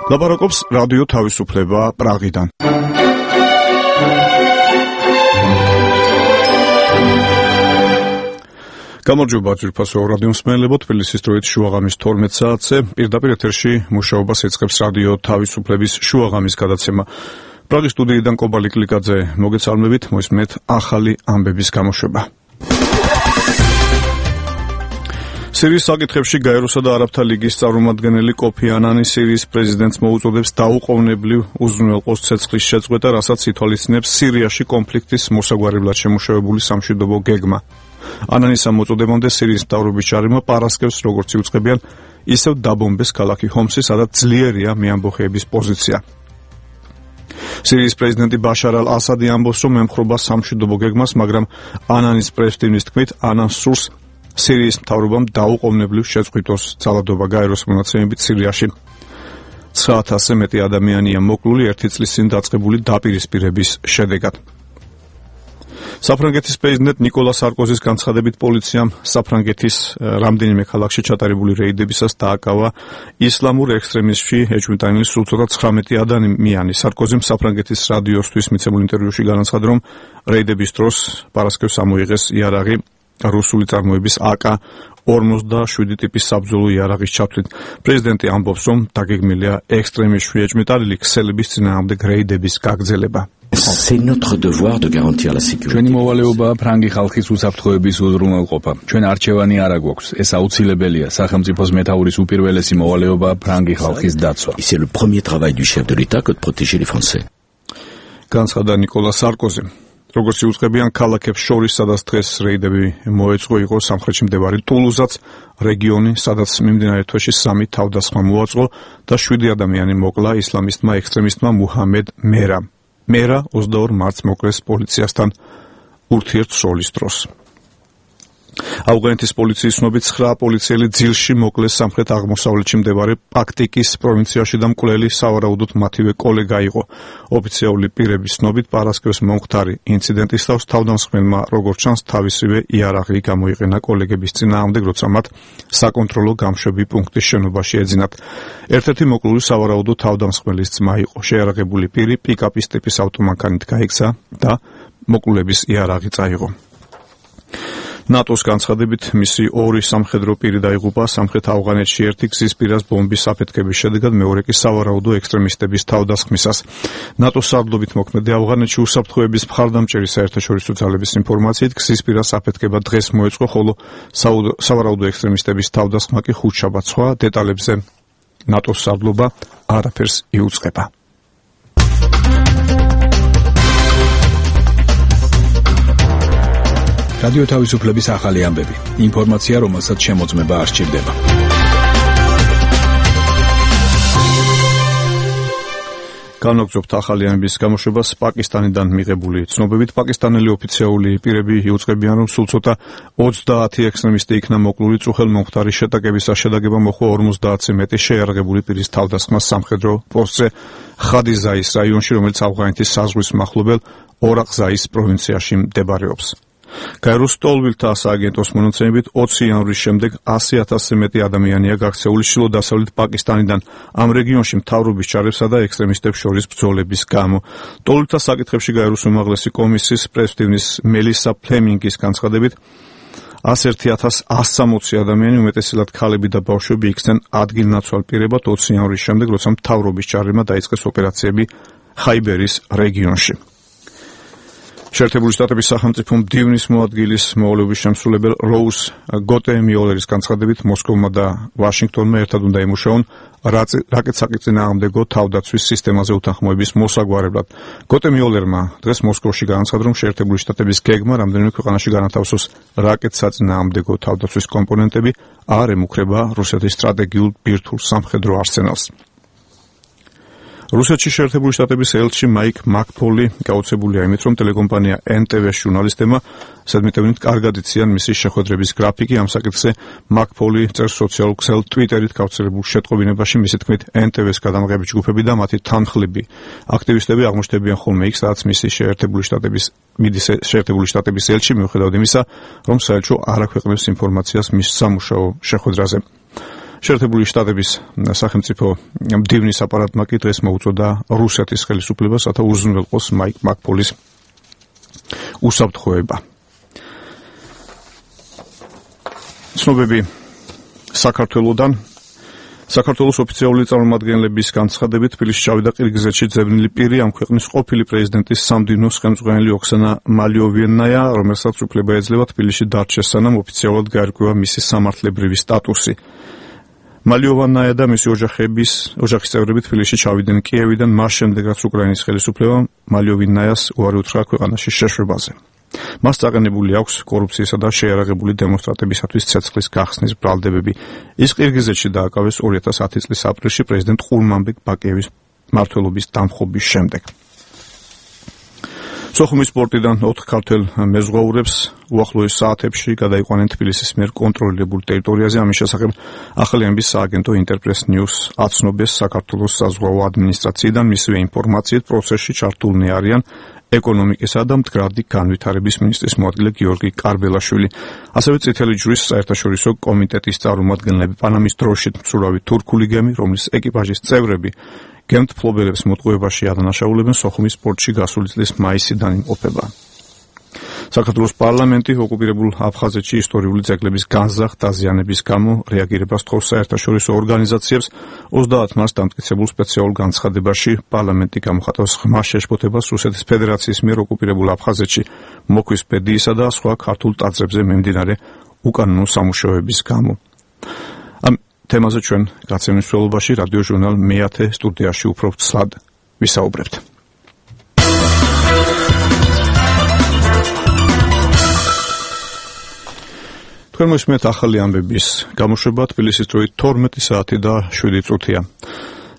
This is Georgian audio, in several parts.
ლაპარაკობს რადიო თავისუფლება პრაღიდან. გამარჯობა ძვირფასო რადიო მსმენელებო, თბილისის დროით შუაღამის 12 საათზე პირდაპირ ეთერში მუშაობას ეწყებს რადიო თავისუფლების შუაღამის გადაცემა. პრაღის სტუდიიდან კობალი კლიკაძე მოგეცალმებით, მოისმენთ ახალი ამბების გამოშვება. სირიის საკითხებში გაეროსა და არაბთა ლიგის წარმომადგენელი კოფი ანანი სირიის პრეზიდენტს მოუწოდებს დაუყოვნებლივ უზრუნველყოს ცეცხლის შეწყვეტა, რასაც ითვალისწინებს სირიაში კონფლიქტის მოსაგვარებლად შემუშავებული სამშვიდობო გეგმა. ანანის ამ მოწოდებამდე სირიის მთავრობის ჯარებმა პარასკევს როგორც იუწყებიან, ისევ დაბომბეს ქალაქი ჰომსი, სადაც ძლიერია მეამბოხეების პოზიცია. სირიის პრეზიდენტი ბაშარ ალ-ასადი ამბობს, რომ ემხრობა სამშვიდობო გეგმას, მაგრამ ანანის პრესტივნის თქმით, ანანს სურს სირიის მთავრობამ დაუყოვნებლივ შეწყვიტოს ძალადობა. გაეროს მონაცემებით სირიაში 9,000-ზე მეტი ადამიანია მოკლული ერთი წლის წინ დაწყებული დაპირისპირების შედეგად. საფრანგეთის პრეზიდენტ ნიკოლა სარკოზის განცხადებით პოლიციამ საფრანგეთის რამდენიმე ქალაქში ჩატარებული რეიდებისას დააკავა ისლამურ ექსტრემიზმში ეჭვმიტანილი სულ ცოტა 19 ადამიანი. სარკოზიმ საფრანგეთის რადიოსთვის მიცემულ ინტერვიუში განაცხადა, რომ რეიდების დროს პარასკევს ამოიღეს იარაღი რუსული წარმოების AK-47 ტიპის საბრძოლო იარაღის ჩათვლით. პრეზიდენტი ამბობს, რომ დაგეგმილია ექსტრემიზმში ეჭვმიტანილი ქსელების წინააღმდეგ რეიდების გაგრძელება. C'est notre devoir de garantir la sécurité. ჩვენი მოვალეობაა ფრანგი ხალხის უსაფრთხოების უზრუნველყოფა. ჩვენ არჩევანი არ აგვაქვს. ეს აუცილებელია. სახელმწიფოს მეთაურის უპირველესი მოვალეობაა ფრანგი ხალხის დაცვა. C'est le premier travail du chef de l'État que de protéger les Français. განცხადა ნიკოლა სარკოზი. როგორც იუწყებიან, ქალაქებს შორის, სადაც დღეს რეიდები მოეწყო, იყო სამხრეთში მდებარე ტულუზაც, რეგიონი, სადაც მიმდინარე თვეში 3 თავდასხმა მოაწყო და 7 ადამიანი მოკლა ისლამისტმა ექსტრემისტმა მუჰამედ მერა. მერა 22 მარტს მოკლეს პოლიციასთან ურთიერთსროლის დროს. ავღანეთის პოლიციის ცნობით 9 პოლიციელი ძილში მოკლეს სამხრეთ-აღმოსავლეთში მდებარე პაქტიკის პროვინციაში და მკვლელი სავარაუდოდ მათივე კოლეგა იყო. ოფიციალური პირების ცნობით პარასკევს მომხდარი ინციდენტის თავს თავდამსხმელმა, როგორც ჩანს, თავისივე იარაღი გამოიყენა კოლეგების წინააღმდეგ, როცა მათ საკონტროლო გამშვები პუნქტის შენობაში ეძინათ. ერთ-ერთი მოკლული სავარაუდოდ თავდამსხმელის ძმა იყო. შეიარაღებული პირი პიკაპის ტიპის ავტომანქანით გაიქცა და მოკლულების იარაღი წაიღო. ნატოს განცხადებით, მისი 2 სამხედრო პირი დაიღუპა სამხრეთ ავღანეთში ერთი გზის პირას ბომბის აფეთქების შედეგად, მეორე კი სავარაუდო ექსტრემისტების თავდასხმისას. ნატოს სარდლობით მოქმედი ავღანეთში უსაფრთხოების მხარდამჭერი საერთაშორისო ძალების ინფორმაციით გზის პირას აფეთქება დღეს მოეწყო, ხოლო სავარაუდო ექსტრემისტების თავდასხმა კი ხუთშაბათს. სხვა დეტალებზე ნატოს სარდლობა არაფერს იუწყება. რადიო თავისუფლების ახალი ამბები. ინფორმაცია, რომელსაც შემოწმება არ სჭირდება. განვაგრძობთ ახალი ამბების გამოშვებას პაკისტანიდან მიღებული ცნობებით. პაკისტანელი ოფიციალური პირები იუწყებიან, რომ სულ ცოტა 30 ექსტრემისტი იქნა მოკლული წუხელ-მომხდარი შეტაკებისას. შედეგება მოჰყვა 50-ზე მეტი შეიარაღებული პირის თავდასხმა სამხედრო პოსტზე ხადიზაის რაიონში, რომელიც ავღანეთის საზღვრის მახლობელ ორაღზაის პროვინციაში მდებარეობს. გაეროს ტოლვილთა სააგენტოს მონაცემებით 20 იანვრის შემდეგ 100,000-ზე მეტი ადამიანია გაქცეული ჩრდილო-დასავლეთ პაკისტანიდან ამ რეგიონში მთავრობის ჯარებსა და ექსტრემისტებს შორის ბრძოლების გამო. ტოლვილთა საკითხებში გაეროს უმაღლესი კომისიის პრეზიდენტის მელისა ფლემინგის განცხადებით 101,160 ადამიანი, უმეტესად ქალები და ბავშვები იქცნენ ადგილნაცვალ პირებად 20 იანვრის შემდეგ, როცა მთავრობის ჯარებმა დაიწყეს ოპერაციები ხაიბერის რეგიონში. შეერთებული შტატების სახელმწიფო მდივნის მოადგილის მოვალეობის შემსრულებელ როუს გოტემიოლერის განცხადებით, მოსკოვმა და ვაშინგტონმა ერთად უნდა იმუშაონ რაკეტსაკის წინააღმდეგო თავდაცვის სისტემაზე უთანხმოების მოსაგვარებლად. გოტემიოლერმა დღეს მოსკოვში განაცხადა, რომ შეერთებული შტატების გეგმა რამდენიმე ქვეყანაში განათავსოს რაკეტსაწინააღმდეგო თავდაცვის კომპონენტები არ ემუქრება რუსეთის სტრატეგიულ ბირთვულ სამხედრო არსენალს. რუსეთში შეერთებული შტატების ელჩი მაიკ მაკფოლი გაოცებულია იმით, რომ ტელეკომპანია NTV-ს ჟურნალისტებმა სადმიტევნით კარგად იციან მისი შეხვედრების გრაფიკი. ამ საკითხზე მაკფოლი წერს სოციალურ ქსელ Twitter-ით გავრცელებულ შეტყობინებაში. მისი თქმით, NTV-ს გადამღები ჯგუფები და მათი თანხლები აქტივისტები აღმოჩნდებიან ხოლმე იქ, სადაც მისი შეერთებული შტატების ელჩი, მიუხედავად იმისა, რომ საელჩო არ აქვეყნებს ინფორმაციას მის სამუშაო შეხვედრაზე. შეერთებული შტატების სახელმწიფო მდივნის აპარატმა კი დღეს მოუწოდა რუსეთის ხელისუფლებას, რათა უზრუნველყოს მაიკ მაკფოლის უსაფრთხოება. ცნობები საქართველოდან. საქართველოს ოფიციალური წარმომადგენლების განცხადებით თბილისში ჩავიდა ყირგიზეთში ძებნილი პირი, ამ ქვეყნის ყოფილი პრეზიდენტის სამდინოს ხელმძღვანელი ოქსანა მალიოვინაია, რომელსაც უფლება ეძლევა თბილისში დარჩეს, სანამ ოფიციალურად გაერკვევა მისი სამართლებრივი სტატუსი. მალიოვინაია და მისი ოჯახის წევრები თბილისში ჩავიდნენ კიევიდან, მას შემდეგ რაც უკრაინის ხელისუფლებამ მალიოვინაიას უარი უთხრა ქვეყანაში შეშვებაზე. მას წაყენებული აქვს კორუფციისა და შეიარაღებული დემონსტრანტებისათვის ცეცხლის გახსნის ბრალდებები. ის ყირგიზეთში დააკავეს 2010 წლის აპრილში პრეზიდენტ ყურმანბეკ ბაკიევის მმართველობის დამხობის შემდეგ. სოხუმის პორტიდან 4 ქართველ მეზღვაურებს უახლოეს საათებში გადაიყვანენ თბილისის მიერ კონტროლირებულ ტერიტორიაზე. ამის შესახებ ახალიანების სააგენტო ინტერპრეს ნიუს აცნობეს საქართველოს საზღვაო ადმინისტრაციიდან. მისივე ინფორმაციით პროცესში ჩართულნი არიან ეკონომიკისა და მდგრადი განვითარების მინისტრის მოადგილე გიორგი კარბელაშვილი. ასევე წითელი ჯვრის საერთაშორისო კომიტეტის წარმომადგენლები, პანამის დროშით მცურავი თურქული გემი, რომლის ეკიპაჟის წევრები გემთმფლობელებს მოტყუებაში ადანაშაულებენ, სოხუმის პორტში გასული წლის მაისიდან იმყოფება. საქართველოს პარლამენტი ოკუპირებულ აფხაზეთში ისტორიული ძეგლების განზრახ დაზიანების გამო რეაგირებას თხოვს საერთაშორისო ორგანიზაციებს. 30 მარტს დამტკიცებულ სპეციალურ განცხადებაში პარლამენტი გამოხატავს ხმას შეშფოთებას რუსეთის ფედერაციის მიერ ოკუპირებულ აფხაზეთში მოქვის ბედიისა და სხვა ქართულ ტაძრებზე მიმდინარე უკანონო სამუშაოების გამო. ამ თემაზე ჩვენ გაცემის მსვლელობაში რადიო ჟურნალ მე-10 სტუდიაში უფრო ცლად ვისაუბრებთ. თქვენ მოსმენთ ახალი ამბების გამოშვება თბილისის დროით 12 საათი და 7 წუთია.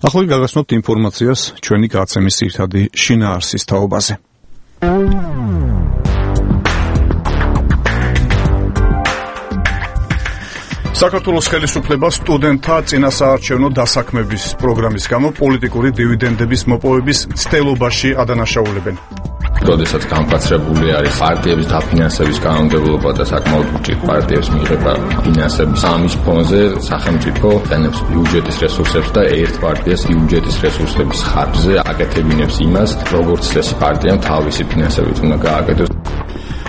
ახლა გაგაცნობთ ინფორმაციას ჩვენი გაცემის ძირითადი შინაარსის თაობაზე. საქართველოს ხელისუფლება სტუდენტთა წინასაარჩევნო დასაქმების პროგრამის გამო პოლიტიკური დივიდენდების მოპოვების მცდელობაში ადანაშაულებენ. როდესაც განკაცებული არის პარტიების დაფინანსების კანონმდებლობა და საკმაოდ უჭირ პარტიებს მიიღება ფინანსების, ამის ფონზე სახელმწიფო დანებს ბიუჯეტის რესურსებს და ერთ პარტიას ბიუჯეტის რესურსების ხარჯზე აკეთებინებს იმას, როგორც ეს პარტიამ თავისი ფინანსებით უნდა გააკეთოს.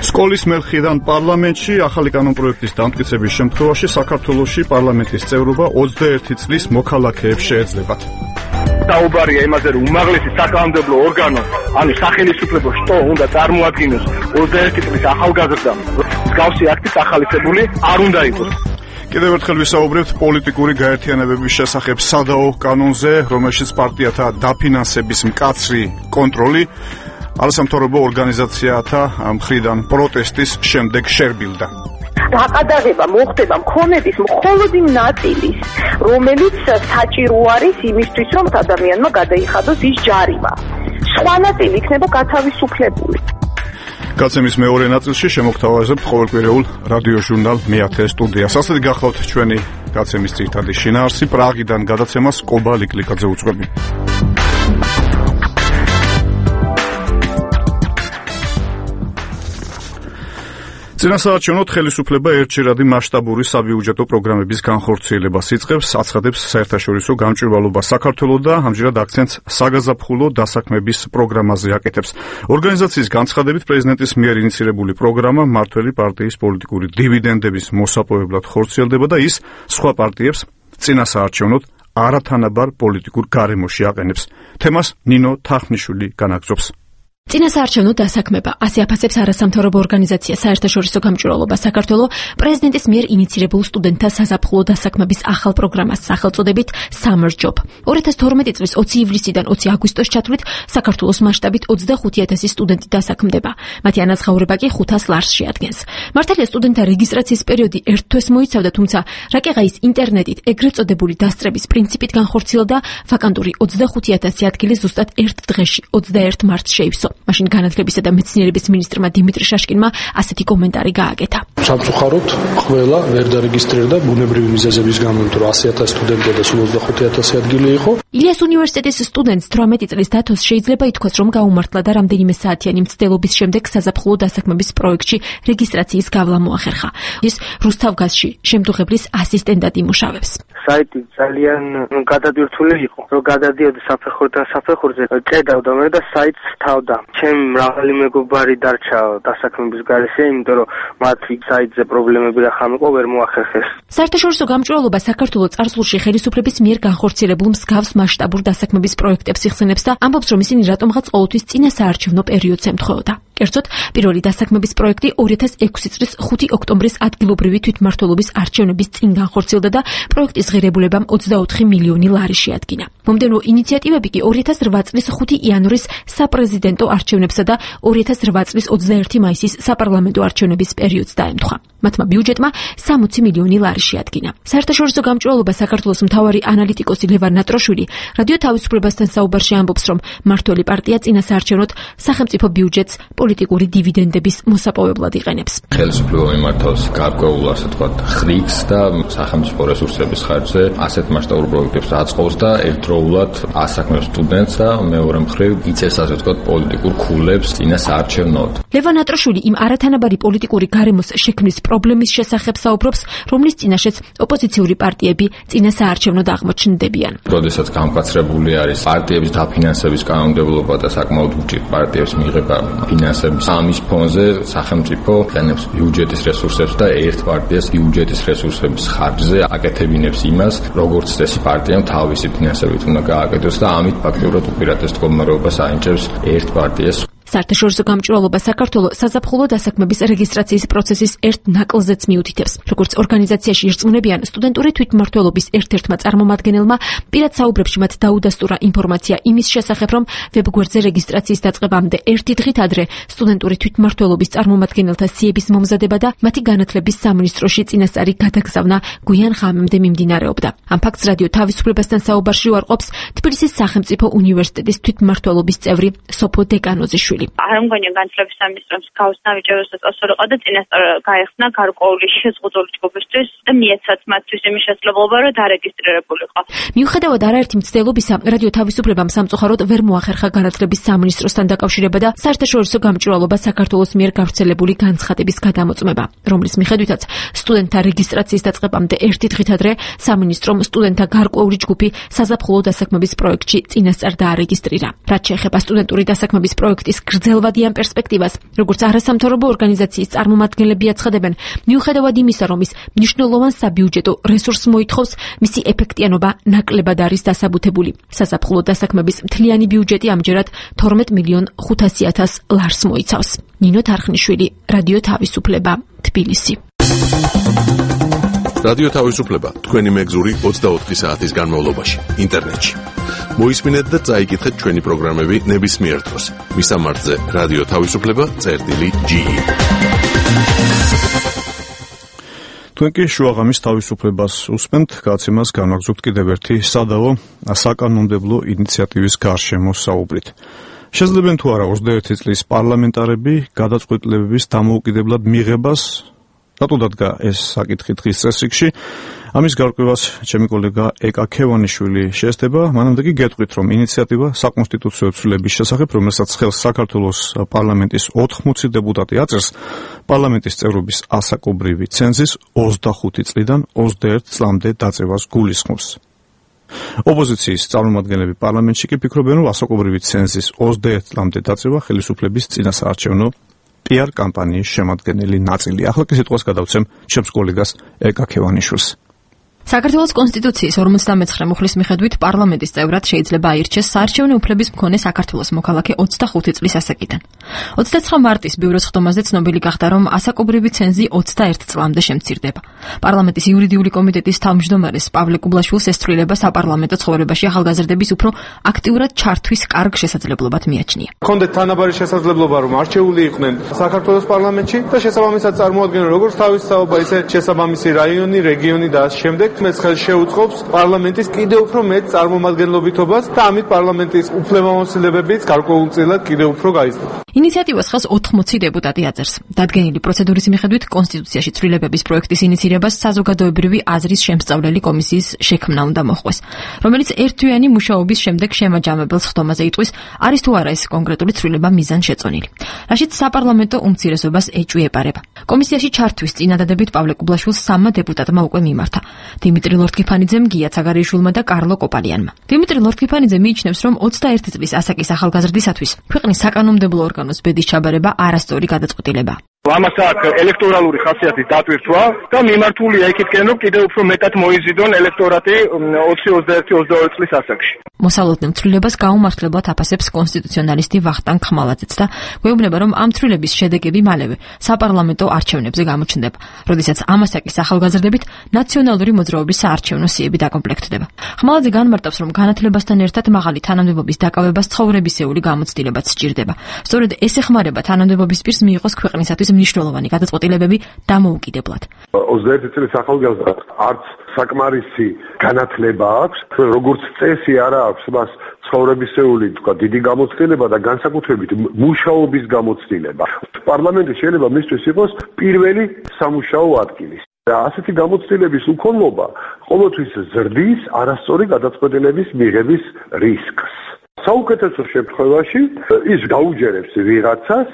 სკოლის მერხიდან პარლამენტში ახალი კანონპროექტის დამტკიცების შემთხვევაში საქართველოში პარლამენტის წევრობა 21 წლის მოქალაქეებს შეეძლებათ. საუბარია იმაზე, რომ უმაღლესი საკანონმდებლო ორგანო, ანუ სახელმწიფო შტო უნდა წარმოადგინოს 21 წლის ახალგაზრდამ. მსგავსი აქტი ახალისებული არ უნდა იყოს. კიდევ ერთხელ ვისაუბრებთ პოლიტიკური გაერთიანებების შესახებ სადაო კანონზე, რომელშიც პარტიათა დაფინანსების მკაცრი კონტროლი არასამთავრობო ორგანიზაციათა მხრიდან პროტესტის შემდეგ შერბილდა. დაყადაღება მოხდება მქონების მხოლოდ იმ ნაწილის, რომელიც საჭირო არის იმისთვის, რომ ადამიანმა გადაიხადოს ის ჯარიმა. სხვა ნაწილი იქნება გათავისუფლებული. გაცემის მეორე ნაწილში შემოგთავაზებთ ყოველკვირეულ რადიო ჟურნალ მე-10 სტუდიას. ასეთი გახლავთ ჩვენი გაცემის ძირითადი შინაარსი. პრაღიდან გადაცემას კობა ლიკლიკაძე უძღვები. წინასაარჩევნოდ ხელისუფლება ერთჯერადი მასშტაბური საბიუჯეტო პროგრამების განხორციელებას იწყებს, აცხადებს საერთაშორისო გამჭვირვალობა საქართველოს და ამჯერად აქცენტს საგაზაფხულო დასაქმების პროგრამაზე აკეთებს. ორგანიზაციის განცხადებით პრეზიდენტის მიერ ინიცირებული პროგრამა მმართველი პარტიის პოლიტიკური დივიდენდების მოსაპოვებლად ხორციელდება და ის სხვა პარტიებს წინასაარჩევნოდ არათანაბარ პოლიტიკურ გარემოში აყენებს. თემას ნინო თახნიშვილი განაგრძობს. წინასაარჩევნო დასაქმება ასე აფასებს არასამთავრობო ორგანიზაცია საერთაშორისო გამჭვირვალობა საქართველოს პრეზიდენტის მიერ ინიცირებულ სტუდენტთა საზაფხულო დასაქმების ახალ პროგრამას სახელწოდებით Summer Job. 2012 წლის 20 ივლისიდან 20 აგვისტოს ჩათვლით საქართველოს მასშტაბით 25,000 სტუდენტი დასაქმდება. მათი ანაზღაურება კი 500 ლარს შეადგენს. მართალია სტუდენტთა რეგისტრაციის პერიოდი ერთ თვეს მოიცავდა, თუმცა რაკეღაის ინტერნეტით ეგრეთ წოდებული დასწრების პრინციპით განხორციელდა ვაკანტური 25,000 ადგილი ზუსტად ერთ დღეში 21 მარტს შეივსო. მაშინ განათლებისა და მეცნიერების მინისტრმა დიმიტრი შაშკინმა ასეთი კომენტარი გააკეთა. სამწუხაროდ ყველა ვერ დარეგისტრირდა ბუნებრივი მიზეზების გამო, რომ 100,000 სტუდენტია და 25,000 ადგილი იყო. ილიას უნივერსიტეტის სტუდენტს 18 წლის დათოს შეიძლება ითქვას, რომ გაუმართლა და რამდენიმე საათიანი მცდელობის შემდეგ საზაფხულო დასაქმების პროექტში რეგისტრაციის გავლა მოახერხა. ის რუსთავგაზში შემდგებლის ასისტენტად იმუშავებს. საიტი ძალიან გადადირთული იყო. რომ გადადიოდი საფეხურიდან საფეხურზე, ჭედავდა მე და საიტს თავდა. ჩემ მრავალი მეგობარი დარჩა დასაქმების გარეშე, იმიტომ რომ მათი საიტზე პრობლემები რახამიყო ვერ მოახერხეს. საერთაშორისო გამჭვირვალობა საქართველოს წარსულში ხელისუფლების მიერ განხორციელებულ მსგავს მასშტაბურ დასაქმების პროექტებს იხსენებს და ამბობს, რომ ისინი რატომღაც ყოველთვის წინასაარჩევნო პერიოდს ემთხვეოდა. კერძოდ, პირველი დასაქმების პროექტი 2006 წლის 5 ოქტომბრის ადგილობრივი თვითმმართველობის არჩევნების წინ განხორციელდა და პროექტის ღირებულებამ 24 მილიონი ლარი შეადგინა. მომდევნო ინიციატივები კი 2008 წლის 5 იანვრის საპრეზიდენტო არჩევნებსა და 2008 წლის 21 მაისის საპარლამენტო არჩევნების პერიოდს დაემთხვა. მათმა ბიუჯეტმა 60 მილიონი ლარი შეადგინა. საერთაშორისო გამჭვირვალობა საქართველოს მთავარი ანალიტიკოსი ლევან ნატროშვილი რადიო თავისუფლებასთან საუბარში ამბობს, რომ მმართველი პარტია წინასაარჩევნოდ სახელმწიფო ბიუჯეტს პოლიტიკური დივიდენდების მოსაპოვებლად იყენებს. ხელისუფლება მიმართავს გარკვეულ, ასე ვთქვათ, ხრიგს და სახელმწიფო რესურსების ხარჯზე ასეთ მასშტაბურ პროექტებს აწყობს და ერთდროულად ასაქმებს სტუდენტს და მეორე მხრივ იწევს, ასე ვთქვათ, პოლიტიკურ ქულებს წინასაარჩევნოდ. ლევან ნატროშვილი იმ არათანაბარი პოლიტიკური გარემოს შექმნის პრობლემის შესახებ საუბრობს, რომლის წინაშეც ოპოზიციური პარტიები წინასაარჩევნოდ აღმოჩნდებიან. როდესაც გამკაცრებული არის პარტიების დაფინანსების კანონმდებლობა და საკმაოდ უჭირ პარტიებს მიიღება ფინანსების, ამის ფონზე სახელმწიფო იყენებს ბიუჯეტის რესურსებს და ერთ პარტიას ბიუჯეტის რესურსების ხარჯზე აკეთებინებს იმას, როგორც წესი პარტიამ თავისი ფინანსებით უნდა გააკეთოს და ამით ფაქტობრივად უპირატეს მდგომარეობას აინჭებს ერთ პარტიას. საერთაშორისო გამჭვირვალობა საქართველოს საზაფხულო დასაქმების რეგისტრაციის პროცესის ერთ ნაკლზეც მიუთითებს. როგორც ორგანიზაციაში ირწმუნებიან, სტუდენტური თვითმმართველობის ერთ-ერთმა წარმომადგენელმა პირად საუბრებში მათ დაუდასტურა ინფორმაცია იმის შესახებ, რომ ვებგვერდზე რეგისტრაციის დაწყებამდე ერთი დღით ადრე სტუდენტური თვითმმართველობის წარმომადგენელთა სიების მომზადება და მათი განათლების სამინისტროში წინასწარი გადაგზავნა გვიან ღამემდე მიმდინარეობდა. ამ ფაქტს რადიო თავისუფლებასთან საუბარში უარყოფს თბილისის სახელმწიფო უნივერსიტეტის თვითმმართველობის წევრი სოფო დეკანოზიშვილი. არ მგონია განათლების სამინისტროს გავს ნაბიჯებს წასულიყო და წინასწარ გაიხსნა გარკვეული შეზღუდული ჯგუფისთვის და მიეცათ მათთვის იმის შესაძლებლობა, რომ დარეგისტრირებულიყო. მიუხედავად არაერთი მცდელობისა, რადიო თავისუფლებამ სამწუხაროდ ვერ მოახერხა განათლების სამინისტროსთან დაკავშირება და საერთაშორისო გამჭვირვალობა საქართველოს მიერ გავრცელებული განცხადების გადამოწმება, რომლის მიხედვითაც სტუდენტთა რეგისტრაციის დაწყებამდე ერთი დღით ადრე სამინისტრომ სტუდენტთა გარკვეული ჯგუფი საზაფხულო დასაქმების პროექტში წინასწარ დაარეგისტრირა. რაც შეეხება სტუდენტური დასაქმების პროექტის გრძელვადიან პერსპექტივას, როგორც არასამთავრობო ორგანიზაციის წარმომადგენლები აცხადებენ, მიუხედავად იმისა, რომ ის მნიშვნელოვან საბიუჯეტო რესურსს მოითხოვს, მისი ეფექტიანობა ნაკლებად არის დასაბუთებული. საზაფხულო დასაქმების მთლიანი ბიუჯეტი ამჯერად 12,500,000 ლარს მოიცავს. ნინო თარხნიშვილი, რადიო თავისუფლება, თბილისი. რადიო თავისუფლება თქვენი მეგზური 24 საათის განმავლობაში ინტერნეტში. მოისმინეთ და წაიკითხეთ ჩვენი პროგრამები ნებისმიერ დროს. მისამართზე რადიო თავისუფლება.ge. თქვენ კი შუაღამის თავისუფლებას უსმენთ, გაცემას განაგზობთ კიდევ ერთი სადავო საკანონმდებლო ინიციატივის გარშემო საუბრით. შესაძლებენ თუ არა 21 წლის პარლამენტარები გადაწყვეტილებების დამოუკიდებლად მიღებას რატო დადგა ეს საკითხი დღის წესრიგში? ამის გარკვევას ჩემი კოლეგა ეკა ქევანიშვილი შეესწება. მანამდე კი გეტყვით, რომ ინიციატივა საკონსტიტუციო ცვლილების შესახებ, რომელსაც ხელს საქართველოს პარლამენტის 80 დეპუტატი აწერს, პარლამენტის წევრობის ასაკობრივი ცენზის 25 წლიდან 21 წლამდე დაწევას გულისხმობს. ოპოზიციის წარმომადგენლები პარლამენტში კი ფიქრობენ, რომ ასაკობრივი ცენზის 21 წლამდე დაწევა ხელისუფლების წინასაარჩევნო PR კამპანიის შემადგენელი ნაწილი. ახლა კი სიტყვას გადავცემ ჩემს კოლეგას ეკა ქევანიშვილს. საქართველოს კონსტიტუციის 59 მუხლის მიხედვით პარლამენტის წევრად შეიძლება აირჩეს საარჩევნო უფლების მქონე საქართველოს მოქალაქე 25 წლის ასაკიდან. 29 მარტის ბიუროს ხდომაზე ცნობილი გახდა, რომ ასაკობრივი ცენზი 21 წლამდე შემცირდება. პარლამენტის იურიდიული კომიტეტის თავმჯდომარეს პავლე კუბლაშვილს ესწრილება საპარლამენტო ცხოვრებაში ახალგაზრდების უფრო აქტიურად ჩართვის კარგ შესაძლებლობად მიაჩნია. ქონდეთ თანაბარი შესაძლებლობა, რომ არჩეული იყვნენ საქართველოს პარლამენტში და შესაბამისად წარმოადგენენ როგორც თავის საუბარ, ისე შესაბამისი რაიონი, რეგიონი და ამ შემდეგ მეც ხელს შეუწყობს პარლამენტის კიდევ უფრო მეტ წარმომადგენლობითობას და ამით პარლამენტის უფლებამოსილებებიც გარკვეულწილად კიდევ უფრო გაიზრდება. ინიციატივას ხელს 80 დეპუტატი აწერს. დადგენილი პროცედურის მიხედვით კონსტიტუციაში ცვლილებების პროექტის ინიციირებას საზოგადოებრივი აზრის შემსწავლელი კომისიის შექმნა უნდა მოხდეს, რომელიც ერთთვიანი მუშაობის შემდეგ შემაჯამებელ ხდომაზე იტყვის, არის თუ არა ეს კონკრეტული ცვლილება მიზანშეწონილი. რაშიც საპარლამენტო უმცირესობას ეჭვი-ეპარება. კომისიაში ჩართვის წინადადებით პავლე კუბლაშვილს 3 დეპუტატმა უკვე მიმართა. დიმიტრი ლორთქიფანიძემ, გია ცაგარიშვილმა და კარლო კოპალიანმა. დიმიტრი ლორთქიფანიძე მიიჩნევს, რომ 21 წლის ასაკის ახალგაზრდისათვის ქვეყნის საკანონმდებლო ორგანოს ბედის ჩაბარება არასწორი გადაწყვეტილებაა. ამას აქვს ელექტორალური ხასიათის დატვირთვა და მიმართულია იქითკენ, რომ კიდევ უფრო მეტად მოიზიდონ ელექტორატი 20-21-22 წლის ასაკში. მოსალოდნელ ცვლილებას გაუმართლებლად აფასებს კონსტიტუციონალისტი ვახტანგ ხმალაძეც და გვეუბნება, რომ ამ ცვლილების შედეგები მალევე საპარლამენტო არჩევნებზე გამოჩნდება, როდესაც ამ ასაკის ახალგაზრდებით ნაციონალური მოძრაობის საარჩევნო სიები დაკომპლექტდება. ხმალაძე განმარტავს, რომ განათლებასთან ერთად მაღალი თანამდებობის დაკავებას ცხოვრებისეული გამოცდილებაც სჭირდება. სწორედ ეს ეხმარება თანამდებობის პირს მიიღოს ქვეყნისათვის მნიშვნელოვანი გადაწყვეტილებები დამოუკიდებლად. 21 წლის ახალგაზრდად არც საკმარისი განათლება აქვს, როგორც წესი არა აქვს მას ცხოვრებისეული, თქვა, დიდი გამოცდილება და განსაკუთრებით მუშაობის გამოცდილება. პარლამენტი შეიძლება მისთვის იყოს პირველი სამუშაო ადგილი. და ასეთი გამოცდილების უქონლობა ყოველთვის ზრდის არასწორი გადაწყვეტილების მიღების რისკს. საუკეთესო შემთხვევაში ის გაუჯერებს ვიღაცას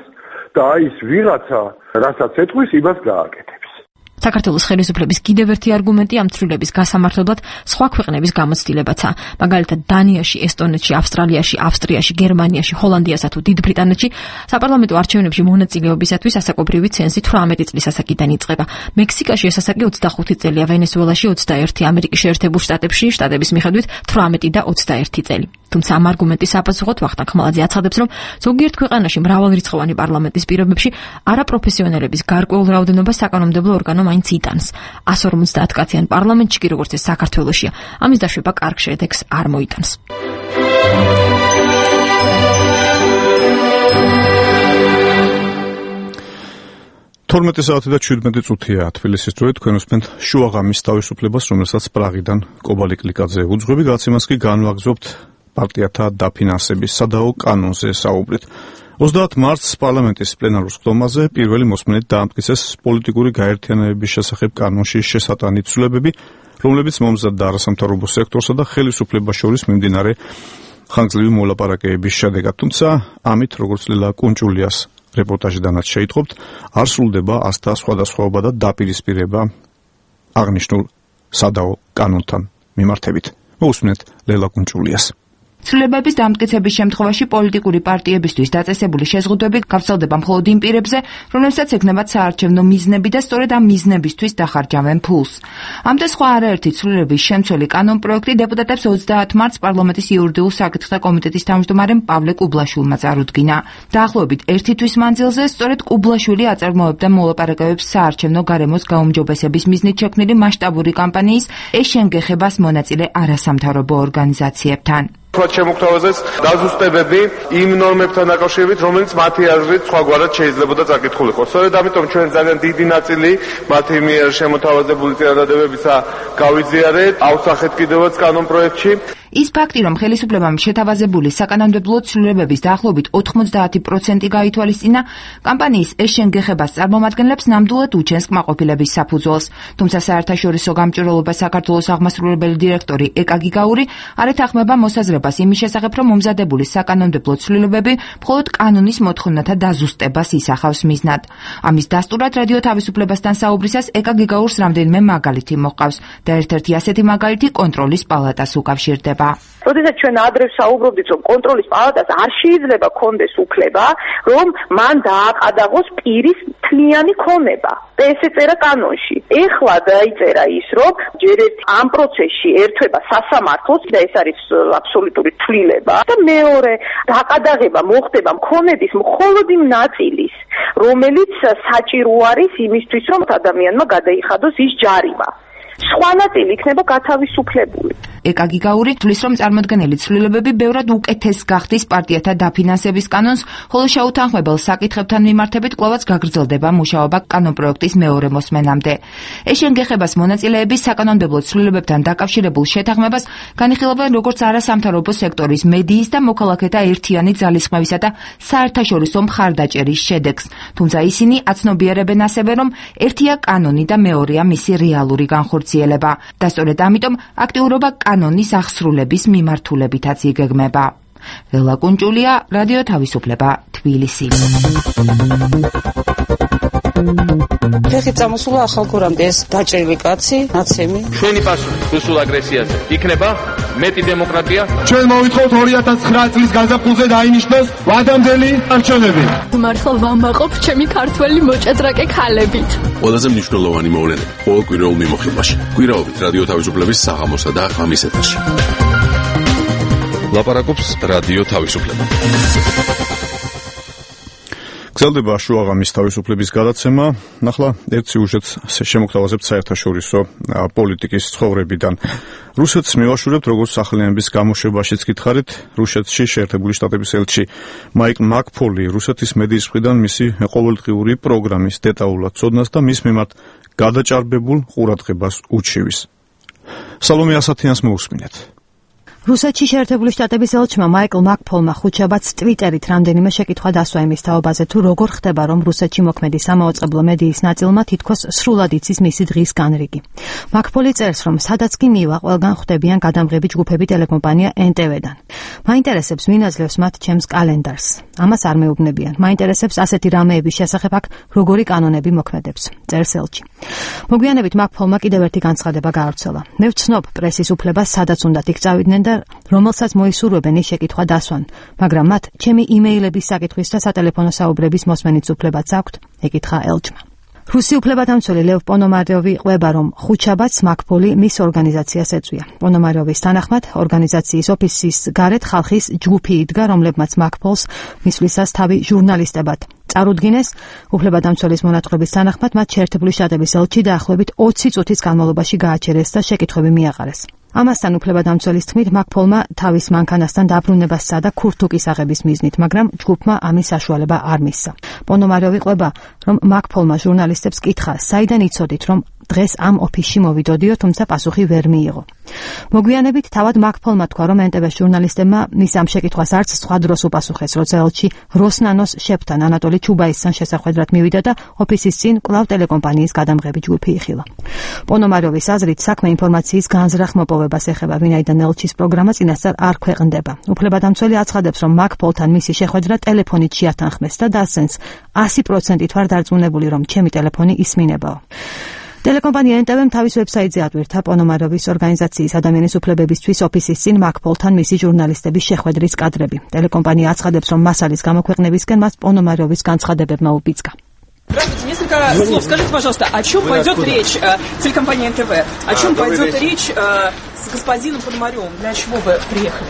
და ის ვიღაცა, რასაც ეთქვის, იმას გააკეთებს. საქართველოს ხელისუფლების კიდევ ერთი არგუმენტი ამ ცვლილების გასამართლებლად სხვა ქვეყნების გამოცდილებაცაა. მაგალითად, დანიაში, ესტონეთში, ავსტრალიაში, ავსტრიაში, გერმანიაში, ჰოლანდიასა თუ დიდ ბრიტანეთში საპარლამენტო არჩევნებში მონაწილეობისათვის ასაკობრივი ცენზი 18 წლის ასაკიდან იწყება. მექსიკაში ეს ასაკი 25 წელია, ვენესუელაში 21, ამერიკის შეერთებულ შტატებში შტატების მიხედვით 18 და 21 წელი. თუმცა ამ არგუმენტის საპასუხოდ ვახტანგ ხმალაძე აცხადებს, რომ ზოგიერთ ქვეყანაში მრავალრიცხოვანი პარლამენტის პირობებში არაპროფესიონალების გარკვეულ რაოდენობას საკანონმდებლო ორგანო მაინც იტანს. 150 კაციან პარლამენტში კი როგორც ეს საქართველოშია, ამის დაშვება კარგ შედეგს არ მოიტანს. 12 საათი და 17 წუთია თბილისის დროით. თქვენ უსმენთ შუაღამის თავისუფლებას, რომელსაც პრაღიდან კობალი კლიკაძე უძღვები. გაცემას კი განვაგრძობთ პარტიათა დაფინანსების სადაო კანონზე საუბრით. 30 მარტს პარლამენტის პლენარულ ხდომაზე პირველი მოსმენით დაამტკიცეს პოლიტიკური გაერთიანებების შესახებ კანონში შესატანი ცვლილებები, რომლებიც მომზადდა არასამთავრობო სექტორსა და ხელისუფლებას შორის მიმდინარე ხანგრძლივი მოლაპარაკებების შედეგად. თუმცა ამით, როგორც ლელა კუნჭულიას რეპორტაჟიდანაც შეიტყობთ, არ სრულდება ასთა სხვადასხვაობა და დაპირისპირება აღნიშნულ სადაო კანონთან მიმართებით. მოусმინეთ ლელა კუნჭულიას. ცვლილებების დამტკიცების შემთხვევაში პოლიტიკური პარტიებისთვის დაწესებული შეზღუდვები გავრცელდება მხოლოდ იმ პირებზე, რომლებსაც ექნებათ საარჩევნო მიზნები და სწორედ ამ მიზნებისთვის დახარჯავენ ფულს. ამდა სხვა არაერთი ცვლილების შემცველი კანონპროექტი დეპუტატებს 30 მარტს პარლამენტის იურიდიულ საკითხთა კომიტეტის თავმჯდომარემ პავლე კუბლაშვილმა წარუდგინა. დაახლოებით ერთი თვის მანძილზე სწორედ კუბლაშვილი აწარმოებდა მოლაპარაკებებს საარჩევნო გარემოს გაუმჯობესების მიზნით შექმნილი მასშტაბური კამპანიის ეშენგეხებას მონაწილე არასამთავრობო ორგანიზაციებთან. შემოგთავაზეს დაზუსტებები იმ ნორმებთან დაკავშირებით, რომელიც მათი აზრით სხვაგვარად შეიძლებოდა წაკითხულიყო. სწორედ ამიტომ ჩვენ ძალიან დიდი ნაწილი მათი მიერ შემოთავაზებული წინადადებებისა გავიზიარეთ, ავსახეთ კიდევაც კანონპროექტში. ის ფაქტი, რომ ხელისუფლებამ შეთავაზებული საკანონმდებლო ცვლილებების დაახლოებით 90% გაითვალისწინა, კამპანიის ეშენგეხებას წარმომადგენლებს ნამდვილად უჩენს კმაყოფილების საფუძველს. თუმცა საერთაშორისო გამჭვირვალობა საქართველოს აღმასრულებელი დირექტორი ეკა გიგაური არ ეთანხმება მოსაზრებას იმის შესახებ, რომ მომზადებული საკანონმდებლო ცვლილებები მხოლოდ კანონის მოთხოვნათა დაზუსტებას ისახავს მიზნად. ამის დასტურად რადიო თავისუფლებასთან საუბრისას ეკა გიგაურს რამდენიმე მაგალითი მოჰყავს და ერთ-ერთი ასეთი მაგალითი კონტროლის პალატას უკავშირდება. როდესაც ჩვენ ადრე საუბრობდით, რომ კონტროლის პალატას არ შეიძლება კონდეს უფლება, რომ მან დააყადაღოს პირის თლიანი ქონება. ეს ეწერა კანონში. ეხლა დაიწერა ის, რომ ჯერ ამ პროცესში ერთვება სასამართლოს და ეს არის აბსოლუტური თვლილება და მეორე დაყადაღება მოხდება მქონების მხოლოდ იმ ნაწილის, რომელიც საჭირო არის იმისთვის, რომ ადამიანმა გადაიხადოს ის ჯარიმა. სხვა ნაწილი იქნება გათავისუფლებული. ეკა გიგაური თვლის, რომ წარმოდგენილი ცვლილებები ბევრად უკეთეს გახდის პარტიათა დაფინანსების კანონს, ხოლო შეუთანხმებელ საკითხებთან მიმართებით კვლავაც გაგრძელდება მუშაობა კანონპროექტის მეორე მოსმენამდე. ეშენ გეხებას მონაწილეების საკანონმდებლო ცვლილებებთან დაკავშირებულ შეთანხმებას განიხილავენ როგორც არასამთავრობო სექტორის, მედიის და მოქალაქეთა ერთიანი ძალისხმევისა და საერთაშორისო მხარდაჭერის შედეგს. თუმცა ისინი აცნობიერებენ ასევე, რომ ერთია კანონი და მეორეა მისი რეალური განხორციელება და სწორედ ამიტომ აქტიურობა კანონის აღსრულების მიმართულებითაც იგეგმება. ლელა კუნჭულია, რადიო თავისუფლება, თბილისი. ფეხით წამოსულა ახალგორამდე ეს დაჭრილი კაცი, ნაცემი. ჩვენი პასუხი რუსულ აგრესიაზე იქნება მეტი დემოკრატია. ჩვენ მოვითხოვთ 2009 წლის გაზაფხულზე დაინიშნოს ვადამდელი არჩევნები. მართლა ვამაყობ ჩემი ქართველი მოჭადრაკე ქალებით. ყველაზე მნიშვნელოვანი მოვლენები ყოველ კვირაულ მიმოხილვაში. კვირაობით რადიო თავისუფლების საღამოსა და ღამის ეთერში. ლაპარაკობს რადიო თავისუფლება. გრძელდება შუაღამის თავისუფლების გადაცემა. ნახლა ერთ სიუჟეტს შემოგთავაზებთ საერთაშორისო პოლიტიკის ცხოვრებიდან. რუსეთს მივაშურებთ, როგორც სახელიანების გამოშვებაშიც გითხარით, რუსეთში შეერთებული შტატების ელჩი მაიკლ მაკფოლი რუსეთის მედიის მხრიდან მისი ყოველდღიური პროგრამის დეტალურად ცოდნას და მის მიმართ გადაჭარბებულ ყურადღებას უჩივის. სალომე ასათიანს მოусმინეთ. რუსეთში შეერთებული შტატების ელჩმა მაიკლ მაკფოლმა ხუთშაბათს ტვიტერით რამდენიმე შეკითხვა დასვა იმის თაობაზე, თუ როგორ ხდება, რომ რუსეთში მოქმედი სამაუწყებლო მედიის ნაწილმა თითქოს სრულად იცის მისი დღის განრიგი. მაკფოლი წერს, რომ სადაც კი მივა, ყველგან ხვდებიან გადამღები ჯგუფები ტელეკომპანია NTV-დან. მაინტერესებს, ვინ აძლევს მათ ჩემს კალენდარს. ამას არ მეუბნებიან. მაინტერესებს ასეთი რამეების შესახებ აქ როგორი კანონები მოქმედებს. წერს ელჩი. მოგვიანებით მაკფოლმა კიდევ ერთი განცხადება გაავრცელა. მე ვცნობ პრესის უფლებას, სადაც უნდათ იქ წავიდნენ და რომელსაც მოისურვებენ ის შეკითხვა დასვან, მაგრამ მათ ჩემი იმეილების საკითხვის და სატელეფონო საუბრების მოსმენით უფლებაც აქვთ, ეკითხა ელჩმა. რუსი უფლებადამცველი ლევ პონომაროვი ყვება, რომ ხუთშაბათს მაკფოლი მის ორგანიზაციას ეწვია. პონომაროვის თანახმად, ორგანიზაციის ოფისის გარეთ ხალხის ჯგუფი იდგა, რომლებმაც მაკფოლს მისვლისას თავი ჟურნალისტებად წარუდგინეს. უფლებადამცველის მონათხრობის თანახმად, მათ შეერთებული შტატების ელჩი დაახლოებით 20 წუთის განმავლობაში გააჩერეს და შეკითხვები მიაყარეს. ამასთან უფლებადამცველის თქმით, მაკფოლმა თავის მანქანასთან დაბრუნება სცადა ქურთუკის აღების მიზნით, მაგრამ ჯგუფმა ამის საშუალება არ მისცა. პონომაროვი ყვება, რომ მაკფოლმა ჟურნალისტებს კითხა, საიდან იცოდით, რომ დღეს ამ ოფისში მოვიდოდიო, თუმცა პასუხი ვერ მიიღო. მოგვიანებით თავად მაკფოლმა თქვა, რომ NTV ჟურნალისტებმა მის ამ შეკითხვას არც სხვა დროს უპასუხეს, როცა ელჩი როსნანოს შეფთან ანატოლი ჩუბაისთან შესახვედრად მივიდა და ოფისის წინ კვლავ ტელეკომპანიის გადამღები ჯგუფი იხილა. პონომაროვის აზრით, საქმე ინფორმაციის განზრახ მოპოვებას ეხება, ვინაიდან ელჩის პროგრამა წინასწარ არ ქვეყნდება. უფლებადამცველი აცხადებს, რომ მაკფოლთან მისი შეხვედრა ტელეფონით შეათანხმეს და დასცენს 100%-ით ვარ დარწმუნებული, რომ ჩემი ტელეფონი ისმინებაო. ტელეკომპანია NTV-მ თავის ვებსაიტზე ატვირთა პონომაროვის ორგანიზაციის ადამიანის უფლებებისთვის ოფისის წინ მაკფოლთან მისი ჟურნალისტების შეხვედრის კადრები. ტელეკომპანია აცხადებს, რომ მასალის გამოქვეყნებისკენ მას პონომაროვის განცხადებებმა უბიძგა. Здравствуйте, несколько слов. Скажите, пожалуйста, о чем пойдет речь телекомпания НТВ? О чем пойдет речь с господином Пономаревым? Для чего вы приехали?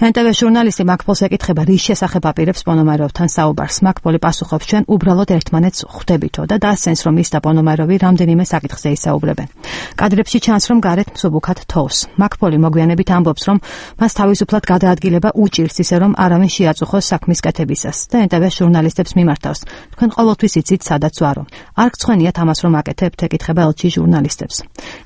NTV ჟურნალისტი მაკფოლს ეკითხება, რის შესახებ აპირებს პონომაროვთან საუბარს. მაკფოლი პასუხობს, ჩვენ უბრალოდ ერთმანეთს ხვდებითო და დასცენს, რომ ის და პონომაროვი რამდენიმე საკითხზე ისაუბრებენ. კადრებში ჩანს, რომ გარეთ მსუბუქად თოვს. მაკფოლი მოგვიანებით ამბობს, რომ მას თავისუფლად გადაადგილება უჭირს, ისე რომ არავინ შეაწუხოს საქმის კეთებისას და NTV ჟურნალისტებს მიმართავს. თქვენ ყოველთვის იცით, სადაც ვარო. არ გცხვენიათ ამას, რომ აკეთებთ, ეკითხება ელჩი ჟურნალისტებს.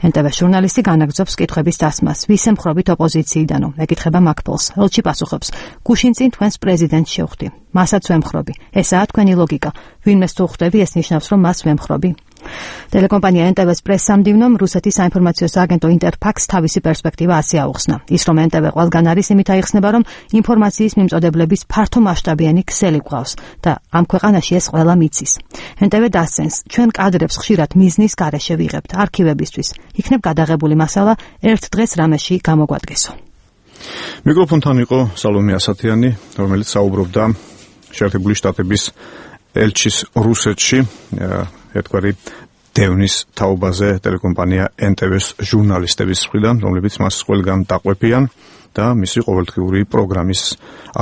NTV ჟურნალისტი განაგრძობს კითხვების დასმას, ვის ემხრობით ოპოზიციიდანო, ეკითხება მაკფოლს. ელჩი პასუხობს, გუშინ წინ თქვენს პრეზიდენტს შევხვდი. მასაც ვემხრობი. ესაა თქვენი ლოგიკა. ვინმეს თუ ხვდები, ეს ნიშნავს, რომ მას ვემხრობი. ტელეკომპანია NTV-ს პრესსამდივნომ რუსეთის საინფორმაციო სააგენტო ინტერფაქს თავისი პერსპექტივა ასე აუხსნა. ის რომ NTV ყველგან არის, იმით აიხსნება, რომ ინფორმაციის მიმწოდებლების ფართომასშტაბიანი ქსელი გვყავს და ამ ქვეყანაში ეს ყველა მიცის. NTV დასცენს, ჩვენ კადრებს ხშირად მიზნის გარეშე ვიღებთ არქივებისთვის. იქნებ გადაღებული მასალა ერთ დღეს რამეში გამოგვადგესო. მიკროფონთან იყო სალომე ასათიანი, რომელიც საუბრობდა შეერთებული შტატების ელჩის რუსეთში ერთგვარი დევნის თაობაზე ტელეკომპანია NTV-ს ჟურნალისტების მხრიდან, რომლებიც მას ყველგან დაყვებიან და მისი ყოველდღიური პროგრამის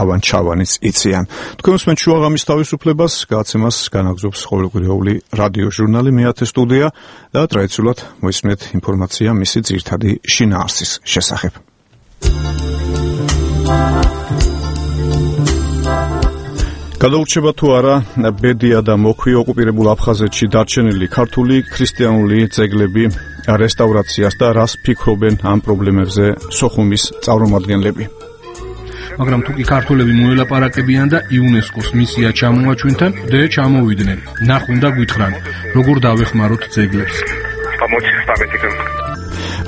ავან-ჩავანიც იციან. თქვენ უსმენთ შუაღამის თავისუფლებას, გადაცემას განაგრძობს ყოველკვირეული რადიო ჟურნალი მე-10 სტუდია და ტრადიციულად მოისმენთ ინფორმაცია მისი ძირითადი შინაარსის შესახებ. გადაურჩება თუ არა ბედია და მოქვი ოკუპირებულ აფხაზეთში დარჩენილი ქართული ქრისტიანული ძეგლები რესტავრაციას და რას ფიქრობენ ამ პრობლემებზე სოხუმის წარმომადგენლები. მაგრამ თუ კი ქართველები მოელაპარაკებიან და იუნესკოს მისია ჩამოაჩვენთან და ჩამოვიდნენ, ნახვენ და გვითხრან, როგორ დავეხმაროთ ძეგლებს.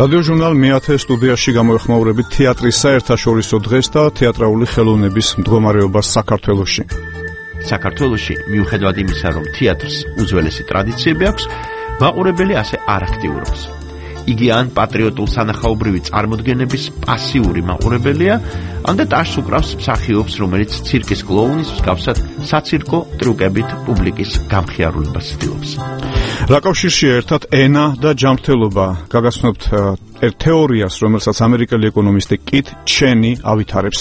რადიო ჟურნალ მე-10 სტუდიაში გამოეხმაურებით თეატრის საერთაშორისო დღეს და თეატრალური ხელოვნების მდგომარეობას საქართველოში. საქართველოში მიუხედავად იმისა, რომ თეატრს უძველესი ტრადიციები აქვს, მაყურებელი ასე არ აქტიურობს. იგი ან პატრიოტულ სანახაობრივი წარმოდგენების პასიური მაყურებელია, ან და ტაშს უკრავს მსახიობს, რომელიც ცირკის კლოუნის მსგავსად საცირკო ტრიუკებით პუბლიკის გამხიარულებას ცდილობს. რა კავშირშია ერთად ენა და ჯანმრთელობა? გაგაცნობთ თეორიას, რომელსაც ამერიკელი ეკონომისტი კით ჩენი ავითარებს.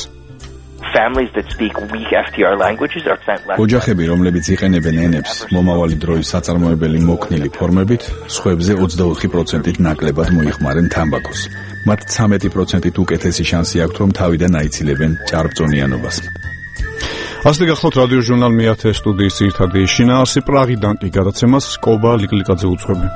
Families that speak weak FTR languages are sent less. ოჯახები, რომლებიც იყენებენ ენებს მომავალი დროის საწარმოებელი მოქნილი ფორმებით, სხვებზე 24%-ით ნაკლებად მოიხმარენ თამბაქოს. მათ 13%-ით უკეთესი შანსი აქვთ, რომ თავიდან აიცილებენ ჭარბწონიანობას. ასე გახლავთ რადიო ჟურნალ მე-10 სტუდიის ძირითადი შინაარსი. პრაღიდან კი გადაცემას კობა ლიკლიკაძე უძღვები.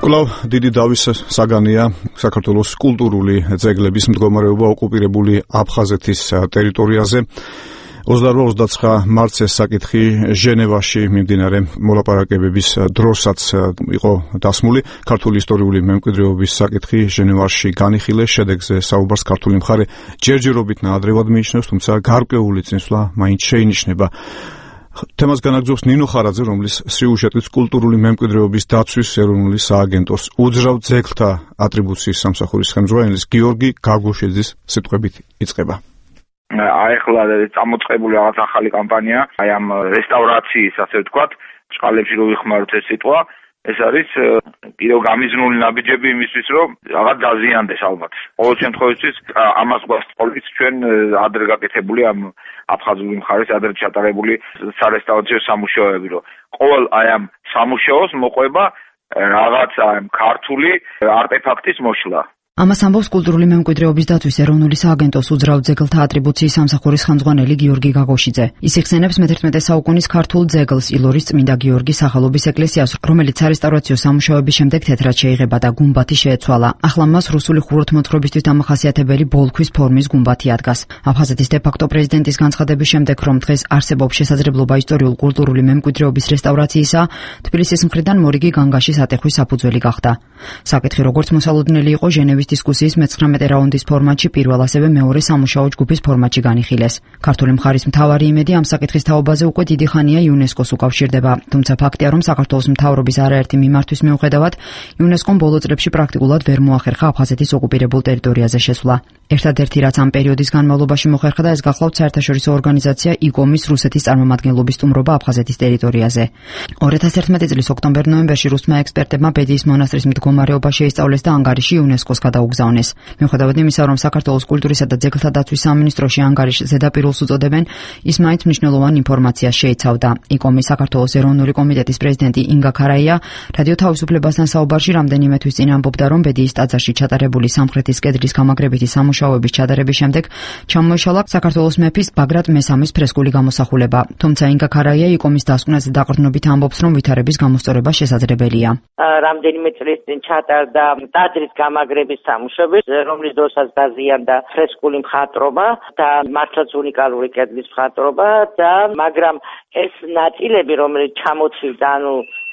კვლავ დიდი დავის საგანია საქართველოს კულტურული ძეგლების მდგომარეობა ოკუპირებული აფხაზეთის ტერიტორიაზე. 28-29 მარტს ეს საკითხი ჟენევაში მიმდინარე მოლაპარაკებების დროსაც იყო დასმული. ქართული ისტორიული მემკვიდრეობის საკითხი ჟენევაში განიხილეს. შედეგზე საუბარს ქართული მხარე ჯერჯერობით ნაადრევად მიიჩნევს, თუმცა გარკვეული წინსვლა მაინც შეინიშნება. თემას განაგრძობს ნინო ხარაძე, რომლის სიუჟეტიც კულტურული მემკვიდრეობის დაცვის ეროვნული სააგენტოს უძრავ ძეგლთა ატრიბუციის სამსახურის ხელმძღვანელის გიორგი გაგუშიძის სიტყვებით იწყება. ახლა წამოწყებული რაღაც ახალი კამპანია, აი ამ რესტავრაციის, ასე ვთქვათ, ჭყალებში რო ვიხმაროთ ეს სიტყვა, ეს არის კიდევ გამიზნული ნაბიჯები იმისთვის, რომ რაღაც დაზიანდეს ალბათ. ყოველ შემთხვევაში ამას გვასწავლით ჩვენ ადრე გაკეთებული ამ აფხაზური მხარის ადრე ჩატარებული სარესტავრაციო სამუშაოები, რომ ყოველ აი ამ სამუშაოს მოყვება რაღაც ქართული არტეფაქტის მოშლა. ამას ამბობს კულტურული მემკვიდრეობის დაცვის ეროვნული სააგენტოს უძრავ ძეგლთა ატრიბუციის სამსახურის ხელმძღვანელი გიორგი გაგოშიძე. ის იხსენებს მე-11 საუკუნის ქართულ ძეგლს ილორის წმინდა გიორგის სახელობის ეკლესიას, რომელიც სარესტავრაციო სამუშაოების შემდეგ თეთრად შეიღება და გუმბათი შეეცვალა. ახლა მას რუსული ხუროთმოძღვრებისთვის დამახასიათებელი ბოლქვის ფორმის გუმბათი ადგას. აფხაზეთის დე-ფაქტო პრეზიდენტის განცხადების შემდეგ, რომ დღეს არსებობს შესაძლებლობა ისტორიულ-კულტურული მემკვიდრეობის რესტავრაციისა, თბილისის მხრიდან მორიგი განგაშის ატეხვის საფუძველი გახდა. საკითხი როგორც მოსალოდნელი იყო ჟენევის დისკუსიის მე-19 რაუნდის ფორმატში, პირველ ასევე მეორე სამუშაო ჯგუფის ფორმატში განიხილეს. ქართული მხარის მთავარი იმედი ამ საკითხის თაობაზე უკვე დიდი ხანია იუნესკოს უკავშირდება, თუმცა ფაქტია, რომ საქართველოს მთავრობის არაერთი მიმართვის მიუხედავად, იუნესკომ ბოლო წლებში პრაქტიკულად ვერ მოახერხა აფხაზეთის ოკუპირებულ ტერიტორიაზე შესვლა. ერთადერთი რაც ამ პერიოდის განმავლობაში მოხერხდა, ეს გახლავთ საერთაშორისო ორგანიზაცია იკომის რუსეთის წარმომადგენლობის სტუმრობა აფხაზეთის ტერიტორიაზე. 2011 წლის ოქტომბერ-ნოემბერში რუსმა ექსპერტებმა ბედიის მონასტრის მდგომარეობა შეისწავლეს და ანგარიში იუნესკოს გადაუგზავნეს. მიუხედავად იმისა, რომ საქართველოს კულტურისა და ძეგლთა დაცვის სამინისტროში ანგარიშს ზედაპირულს უწოდებენ, ის მაინც მნიშვნელოვან ინფორმაციას შეიცავდა. იკომის საქართველოს ეროვნული კომიტეტის პრეზიდენტი ინგა ქარაია რადიო თავისუფლებასთან საუბარში რამდენიმე თვის წინ ამბობდა, რომ ბედიის ტაძარში ჩატარებული სამხრეთის კედლის გამაგრებითი სამუშაოების ჩატარების შემდეგ ჩამოეშალა საქართველოს მეფის ბაგრატ მესამის ფრესკული გამოსახულება. თუმცა ინგა ქარაია იკომის დასკვნაზე დაყრდნობით ამბობს, რომ ვითარების გამოსწორება შესაძლებელია. რამდენიმე წლის წინ ჩატარდა ტაძრის გამაგრების სამუშაოები, რომლის დროსაც დაზიანდა ფრესკული მხატვრობა და მართლაც უნიკალური კედლის მხატვრობა და მაგრამ ეს ნაწილები, რომელიც ჩამოცივდა,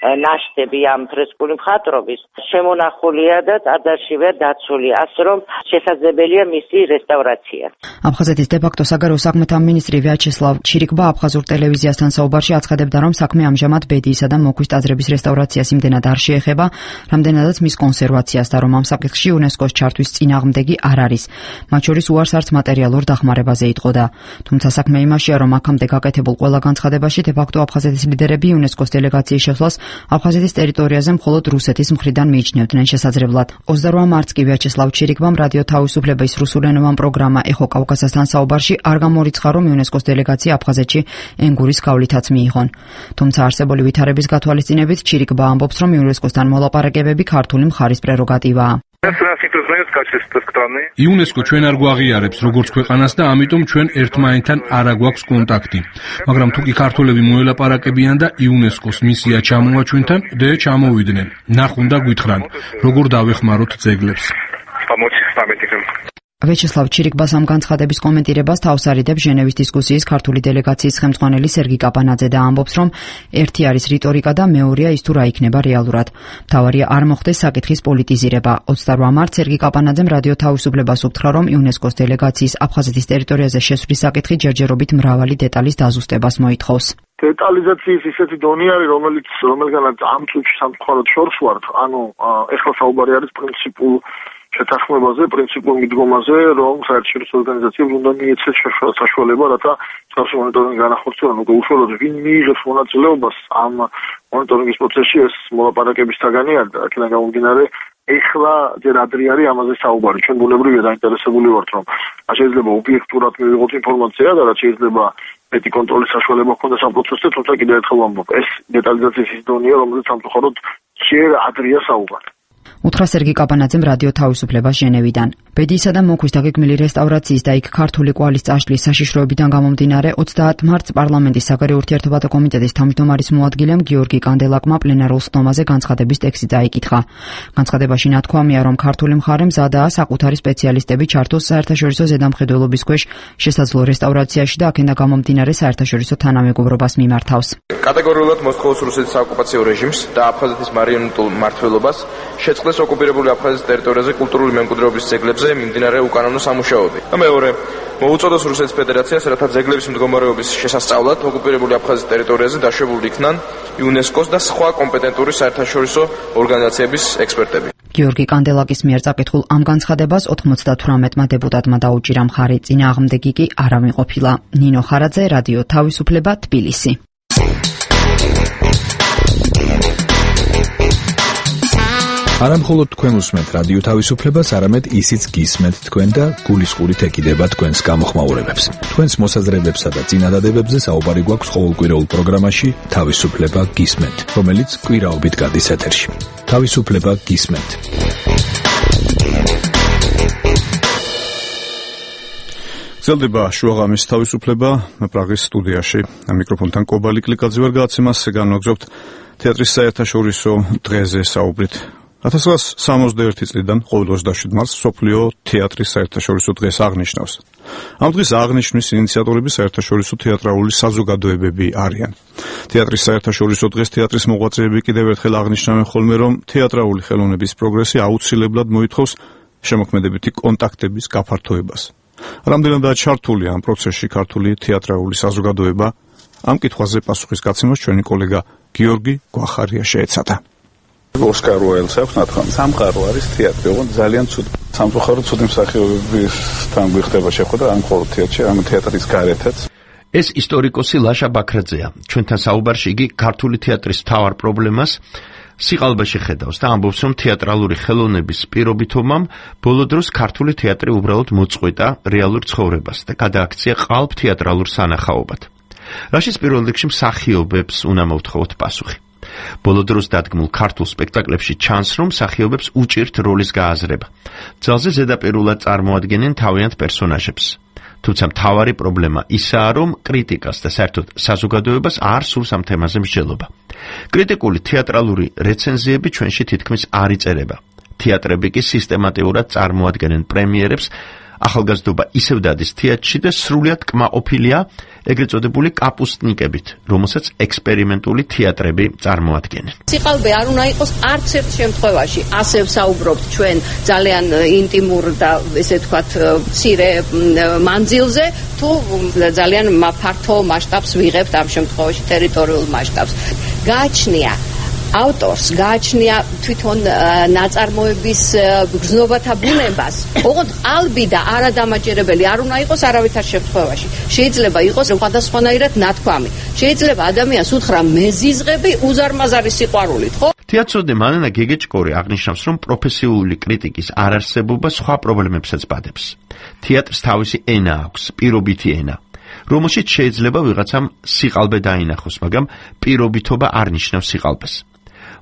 ნაშთები ამ ფრესკული მხატვრობის შემონახულია და ტაძარშივე დაცული, ასე რომ შესაძლებელია მისი რესტავრაცია. აფხაზეთის დე-ფაქტო საგარეო საქმეთა მინისტრი ვიაჩესლავ ჩირიკბა აფხაზურ ტელევიზიასთან საუბარში აცხადებდა, რომ საქმე ამჟამად ბედიისა და მოქვის ტაძრების რესტავრაციას იმდენად არ შეეხება, რამდენადაც მის კონსერვაციას და რომ ამ საკითხში იუნესკოს ჩართვის წინააღმდეგი არ არის. მათ შორის უარს არც მატერიალურ დახმარებაზე იტყოდა. თუმცა საქმე იმაშია, რომ აქამდე გაკეთებულ ყველა განცხადებაში დე-ფაქტო აფხაზეთის ლიდერები იუნესკოს დელეგაციის შესვლას აფხაზეთის ტერიტორიაზე მხოლოდ რუსეთის მხრიდან მიიჩნევდნენ შესაძლებლად. 28 მარტს კი ვიაჩესლავ ჩირიკბამ რადიო თავისუფლების რუსულენოვან პროგრამა ეხო კავკასიასთან საუბარში არ გამორიცხა, რომ იუნესკოს დელეგაცია აფხაზეთში ენგურის გავლითაც მიიღონ. თუმცა არსებული ვითარების გათვალისწინებით ჩირიკბა ამბობს, რომ იუნესკოსთან მოლაპარაკებები ქართული მხარის პრეროგატივაა. იუნესკო ჩვენ არ გვაღიარებს როგორც ქვეყანას და ამიტომ ჩვენ ერთმანეთთან არ აგვაქვს კონტაქტი. მაგრამ თუ კი ქართველები მოელაპარაკებიან და იუნესკოს მისია ჩამოვა ჩვენთან, ჩამოვიდნენ. ნახონ და გვითხრან, როგორ დავეხმაროთ ძეგლებს. ვიაჩესლავ ჩირიკბას ამ განცხადების კომენტირებას თავს არიდებს ჟენევის დისკუსიის ქართული დელეგაციის ხელმძღვანელი სერგი კაპანაძე და ამბობს, რომ ერთი არის რიტორიკა და მეორეა ის თუ რა იქნება რეალურად. მთავარია არ მოხდეს საკითხის პოლიტიზირება. 28 მარტს სერგი კაპანაძემ რადიო თავისუფლებას უთხრა, რომ იუნესკოს დელეგაციის აფხაზეთის ტერიტორიაზე შესვლის საკითხი ჯერჯერობით მრავალი დეტალის დაზუსტებას მოითხოვს. დეტალიზაციის ისეთი დონე არის, რომელგანაც ამ წუთში სამწუხაროდ შორს ვართ. ეხლა საუბარი არის პრინციპულ შეთანხმებაზე, პრინციპულ მიდგომაზე, რომ საერთაშორისო ორგანიზაციებს უნდა მიეცეს საშუალება, რათა მსგავსი მონიტორინგი განახორციელონ. უკვე უშუალოდ ვინ მიიღებს მონაწილეობას ამ მონიტორინგის პროცესში, ეს მოლაპარაკების საგანი არის და აქედან გამომდინარე ეხლა ჯერ ადრე არის ამაზე საუბარი. ჩვენ ბუნებრივია დაინტერესებული ვართ, რომ შეიძლება ობიექტურად მივიღოთ ინფორმაცია და რაც შეიძლება მეტი კონტროლის საშუალება ჰქონდეს ამ პროცესზე, თუმცა კიდევ ერთხელ ვამბობ, ეს დეტალიზაციის ის დონეა, რომელზეც სამწუხაროდ ჯერ ადრეა საუბარი. უთხრა სერგი კაპანაძემ რადიო თავისუფლებას ჟენევიდან. ბედიისა და მოქვის დაგეგმილი რესტავრაციის და იქ ქართული კვალის წაშლის საშიშროებიდან გამომდინარე 30 მარტს პარლამენტის საგარეო ურთიერთობათა კომიტეტის თავმჯდომარის მოადგილემ გიორგი კანდელაკმა პლენარულ ხდომაზე განცხადების ტექსტი დაიკითხა. განცხადებაში ნათქვამია, რომ ქართული მხარე მზადაა საკუთარი სპეციალისტები ჩართოს საერთაშორისო ზედამხედველობის ქვეშ შესაძლო რესტავრაციაში და აქედან გამომდინარე საერთაშორისო თანამეგობრობას მიმართავს. კატეგორიულად მოსკოვის რუსეთის საოკუპაციო რეჟიმს და აფხაზეთის მარიონეტულ მმართველობას შეწყდეს ოკუპირებული აფხაზეთის ტერიტორიაზე კულტურული მემკვიდრეობის ძეგლებზე მიმდინარე უკანონო სამუშაოები. და მეორე, მოუწოდოს რუსეთის ფედერაციას, რათა ძეგლების მდგომარეობის შესასწავლად ოკუპირებული აფხაზეთის ტერიტორიაზე დაშვებულნი იქნან იუნესკოს და სხვა კომპეტენტური საერთაშორისო ორგანიზაციების ექსპერტები. გიორგი კანდელაკის მიერ წაკითხულ ამ განცხადებას 98-მა დეპუტატმა დაუჭირა მხარი, წინააღმდეგი კი არ ამიყოფილა. ნინო ხარაძე, რადიო თავისუფლება, თბილისი. არა მხოლოდ თქვენ უსმენთ რადიო თავისუფლებას, არამედ ისიც გისმენთ თქვენ და გულისყურით ეკიდება თქვენს გამოხმაურებებს. თქვენს მოსაზრებებსა და წინადადებებზე საუბარი გვაქვს ყოველკვირეულ პროგრამაში თავისუფლება გისმენთ, რომელიც კვირაობით გადის ეთერში. თავისუფლება გისმენთ. გრძელდება შუაღამის თავისუფლება პრაღის სტუდიაში. მიკროფონთან კობალი კლიკაძე ვარ, გადაცემას განვაგრძობთ თეატრის საერთაშორისო დღეზე საუბრით. 1961 წლიდან ყოველ 27 მარტს მსოფლიო თეატრის საერთაშორისო დღეს აღნიშნავს. ამ დღის აღნიშვნის ინიციატორები საერთაშორისო თეატრალური საზოგადოებები არიან. თეატრის საერთაშორისო დღეს თეატრის მოღვაწეები კიდევ ერთხელ აღნიშნავენ ხოლმე, რომ თეატრალური ხელოვნების პროგრესი აუცილებლად მოითხოვს შემოქმედებითი კონტაქტების გაფართოებას. რამდენადაა ჩართული ამ პროცესში ქართული თეატრალური საზოგადოება? ამ კითხვაზე პასუხის გაცემას ჩვენი კოლეგა გიორგი გვახარია შეეცადა. ოსკარ უაილდს აქვს ნათქვამი. სამყარო არის თეატრი, ოღონდ ძალიან ცუდი. სამწუხაროდ ცუდი მსახიობებისთან გვიხდება შეხვედრა, ამ მხოლოდ თეატრში, ამ თეატრის გარეთაც. ეს ისტორიკოსი ლაშა ბაქრაძეა. ჩვენთან საუბარში იგი ქართული თეატრის მთავარ პრობლემას სიყალბეში ხედავს და ამბობს, რომ თეატრალური ხელოვნების პირობითობამ ბოლო დროს ქართული თეატრი უბრალოდ მოწყვეტა რეალურ ცხოვრებას და გადააქცია ყალბ თეატრალურ სანახაობად. რაშიც პირველ რიგში მსახიობებს უნდა მოვთხოვოთ პასუხი. ბოლო დროს დადგმულ ქართულ სპექტაკლებში ჩანს, რომ მსახიობებს უჭირთ როლის გააზრება. ძალზე ზედაპირულად წარმოადგენენ თავიანთ პერსონაჟებს. თუმცა მთავარი პრობლემა ისაა, რომ კრიტიკას და საერთოდ საზოგადოებას არ სურს ამ თემაზე მსჯელობა. კრიტიკული თეატრალური რეცენზიები ჩვენში თითქმის არ იწერება. თეატრები კი სისტემატიურად წარმოადგენენ პრემიერებს, ახალგაზრდობა ისევ დადის თეატრში და სრულიად კმაყოფილია ეგრეთ წოდებული კაპუსტნიკებით, რომელსაც ექსპერიმენტული თეატრები წარმოადგენენ. სიყალბე არ უნდა იყოს არც ერთ შემთხვევაში. ასე ვსაუბრობთ ჩვენ ძალიან ინტიმურ და ესე ვთქვათ მცირე მანძილზე, თუ ძალიან ფართო მასშტაბს ვიღებთ ამ შემთხვევაში ტერიტორიულ მასშტაბს. გააჩნია ავტორს გააჩნია თვითონ ნაწარმოების გრძნობათა ბუნებას. ოღონდ ყალბი და არადამაჯერებელი არ უნდა იყოს არავითარ შემთხვევაში. შეიძლება იყოს სხვადასხვანაირად ნათქვამი. შეიძლება ადამიანს უთხრა მეზიზღები უზარმაზარი სიყვარულით, ხო? თეატროდე მანანა გეგეჭკორი აღნიშნავს, რომ პროფესიული კრიტიკის არარსებობა სხვა პრობლემებსაც ბადებს. თეატრს თავისი ენა აქვს, პირობითი ენა, რომელშიც შეიძლება ვიღაცამ სიყალბე დაინახოს, მაგრამ პირობითობა არ ნიშნავს სიყალბეს.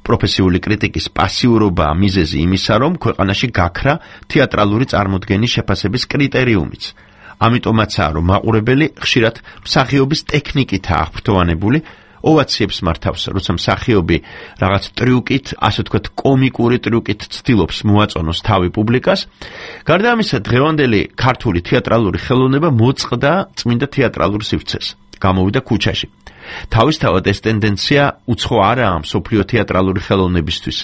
პროფესიული კრიტიკის პასიურობაა მიზეზი იმისა, რომ ქვეყანაში გაქრა თეატრალური წარმოდგენის შეფასების კრიტერიუმიც. ამიტომაცაა, რომ მაყურებელი ხშირად მსახიობის ტექნიკითაა აღფრთოვანებული, ოვაციებს მართავს, როცა მსახიობი რაღაც ტრიუკით, ასე ვთქვათ, კომიკური ტრიუკით ცდილობს მოაწონოს თავი პუბლიკას. გარდა ამისა, დღევანდელი ქართული თეატრალური ხელოვნება მოწყდა წმინდა თეატრალურ სივრცეს, გამოვიდა ქუჩაში. თავისთავად ეს ტენდენცია უცხო არაა მსოფლიო თეატრალური ხელოვნებისთვის,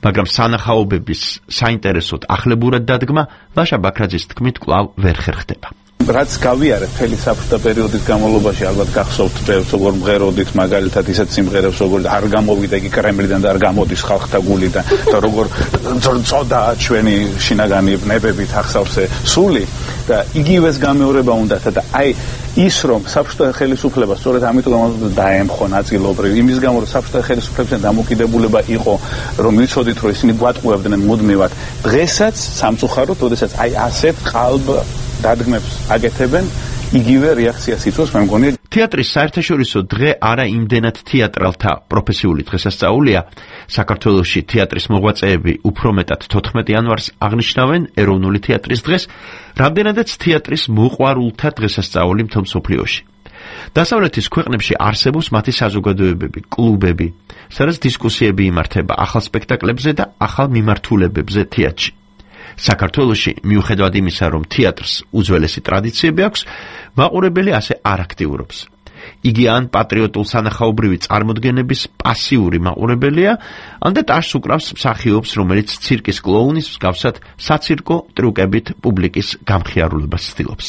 მაგრამ სანახაობების საინტერესოდ ახლებურად დადგმა ვაშა ბაქრაძის თქმით კვლავ ვერ ხერხდება. რაც გავიარეთ მთელი საბჭოთა პერიოდის განმავლობაში, ალბათ გახსოვთ ბევრს, როგორ მღეროდით მაგალითად ისეთ სიმღერებს, როგორ არ გამოვიდა იგი კრემლიდან და არ გამოდის ხალხთა გულიდან და როგორ წოდა ჩვენი შინაგანი ნებებით ახსავსე სული და იგივეს გამეორება უნდათ და აი ის რომ საბჭოთა ხელისუფლება სწორედ ამიტომ დაემხო ნაწილობრივ იმის გამო რომ საბჭოთა ხელისუფლებასთან დამოკიდებულება იყო რომ ვიცოდით რომ ისინი გვატყუებდნენ მუდმივად დღესაც სამწუხაროდ ოდესაც აი ასეთ ყალბ დადგმებს აკეთებენ იგივე რეაქციას იწვევს მე მგონი თეატრის საერთაშორისო დღე არა იმდენად თეატრალთა პროფესიული დღესასწაულია საქართველოში თეატრის მოღვაწეები უფრო მეტად 14 იანვარს აღნიშნავენ ეროვნული თეატრის დღეს რამდენადაც თეატრის მოყვარულთა დღესასწაული მთელ მსოფლიოში დასავლეთის ქვეყნებში არსებობს მათი საზოგადოებები კლუბები სადაც დისკუსიები იმართება ახალ სპექტაკლებზე და ახალ მიმართულებებზე თეატრში საქართველოში მიუხედავად იმისა, რომ თეატრს უძველესი ტრადიციები აქვს, მაყურებელი ასე არ აქტიურობს. იგი ან პატრიოტულ სანახაობრივი წარმოდგენების პასიური მაყურებელია, ან და ტაშს უკრავს მსახიობს, რომელიც ცირკის კლოუნის მსგავსად საცირკო ტრიუკებით პუბლიკის გამხიარულებას ცდილობს.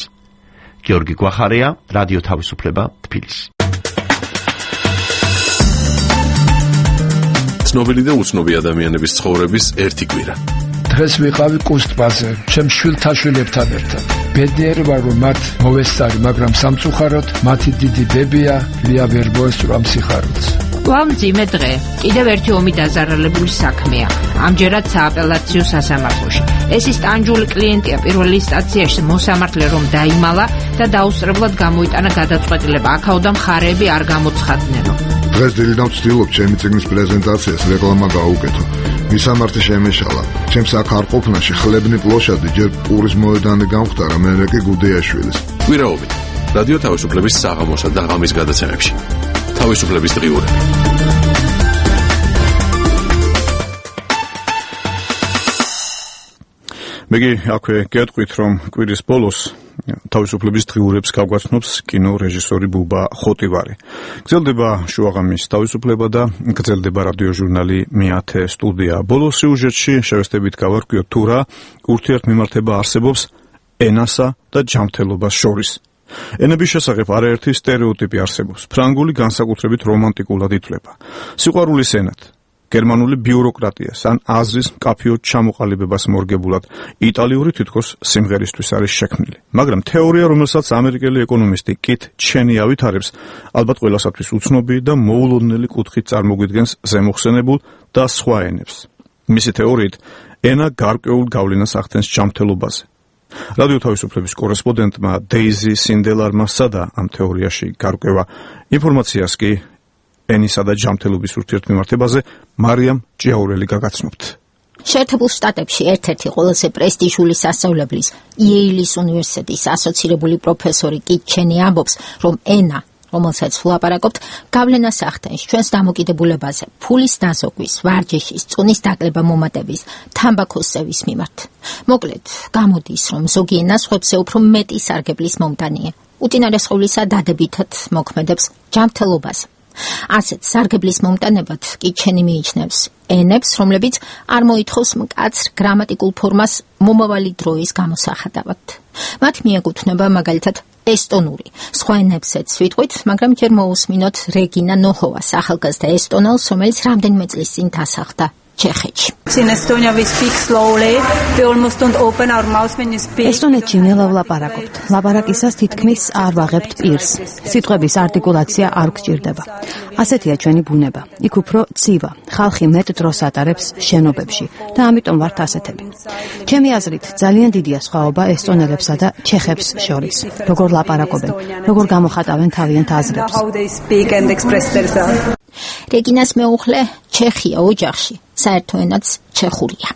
გიორგი გვახარია, რადიო თავისუფლება, თბილისი. ცნობილი და უცნობი ადამიანების ცხოვრების ერთი კვირა. დღეს ვიყავი კუსტბაზე, ჩემ შვილთაშვილებთან ერთად. ბედნიერი ვარ, რომ მათ მოვესწარი, მაგრამ სამწუხაროდ მათი დიდი ბებია ლია ვერ მოესწრო სიხარულს. მძიმე დღე. კიდევ ერთი ომი დაზარალებული საქმეა. ამჯერად სააპელაციო სასამართლოში. ეს ის ტანჯული კლიენტია პირველ ინსტანციაში მოსამართლე რომ დაიმალა და დაუსწრებლად გამოიტანა გადაწყვეტილება. აქაოდან მხარეები არ გამოცხადნენო. დღეს დილიდან ვცდილობ ჩემი წიგნის პრეზენტაციას რეკლამა გაუკეთო. მისამართი შემეშალა. ჩემს აქ არ ყოფნაში ხლებნი პლოშადი ჯერ პურის მოედანი გამختარა, მერე კი გუდეაშვილის. კვირაობით რადიო თავისუფლების საღამოსა და ღამის გადაცემებში. თავისუფლების დღიურები. მეგი აქვე გეტყვით, რომ კვირის ბოლოს თავისუფლების დღიურებს გავგვაცნობს კინო რეჟისორი ბუბა ხოტივარი. გრძელდება შუაღამის თავისუფლება და გრძელდება რადიო ჟურნალი მეათე სტუდია. ბოლოს სიუჟეტში შევესწრებით გავარკვიოთ თუ რა ურთიერთმემართება არსებობს ენასა და ჯანმრთელობას შორის. ენების შესახებ არაერთი სტერეოტიპი არსებობს. ფრანგული განსაკუთრებით რომანტიკულად ითვლება. სიყვარულის ენად გერმანული ბიუროკრატიას ან აზრის მკაფიოდ ჩამოყალიბებას მორგებულად იტალიური თითქოს სიმღერისთვის არის შექმნილი. მაგრამ თეორია, რომელსაც ამერიკელი ეკონომისტი კით ჩენი ავითარებს, ალბათ ყველასათვის უცნობი და მოულოდნელი კუთხით წარმოგვიდგენს ზემოხსენებულ და სხვა ენებს. მისი თეორიით, ენა გარკვეულ გავლენას ახდენს ჯანმრთელობაზე. რადიო თავისუფლების კორესპონდენტმა დეიზი სინდელარმა სცადა ამ თეორიაში გარკვევა ინფორმაციას კი ენისა და ჯანმრთელობის ურთიერთმემართებაზე მარიამ ჭიაურელი გაგაცნობთ. შეერთებულ შტატებში ერთ-ერთი ყველაზე პრესტიჟული სასწავლებლის იეილის უნივერსიტეტის ასოცირებული პროფესორი კით ჩენი ამბობს, რომ ენა, რომელსაც ვლაპარაკობთ, გავლენას ახდენს ჩვენს დამოკიდებულებაზე, ფულის დაზოგვის, ვარჯიშის, წუნის დაკლება მომატების, თამბაქოს წევის მიმართ. მოკლედ, გამოდის, რომ ზოგი ენა სხვებზე უფრო მეტი სარგებლის მომტანია. უწინარესყოვლისა დადებითად მოქმედებს ჯანმრთელობაზე. ასეთ სარგებლის მომტანებად კი ჩენი მიიჩნევს ენებს, რომლებიც არ მოითხოვს მკაცრ გრამატიკულ ფორმას მომავალი დროის გამოსახატავად. მათ მიეკუთვნება მაგალითად ესტონური. სხვა ენებსაც ვიტყვით, მაგრამ ჯერ მოусმინოთ რეგინა ნოჰოვას, ახალგაზრდა ესტონელს, რომელიც რამდენიმე წლის წინ დასახლდა ჩეხეთში. ესტონეთში ნელავ ლაპარაკობთ. ლაპარაკისას თითქმის არ ვაღებთ პირს. სიტყვების არტიკულაცია არ გჭირდება. ასეთია ჩვენი ბუნება. იქ უფრო ცივა. ხალხი მეტ დროს ატარებს შენობებში და ამიტომ ვართ ასეთები. ჩემი აზრით, ძალიან დიდია სხვაობა ესტონელებსა და ჩეხებს შორის. როგორ ლაპარაკობენ, როგორ გამოხატავენ თავიანთ აზრებს. რეგინას მეუღლე ჩეხია ოჯახში, საერთო ენაც ჩეხურია.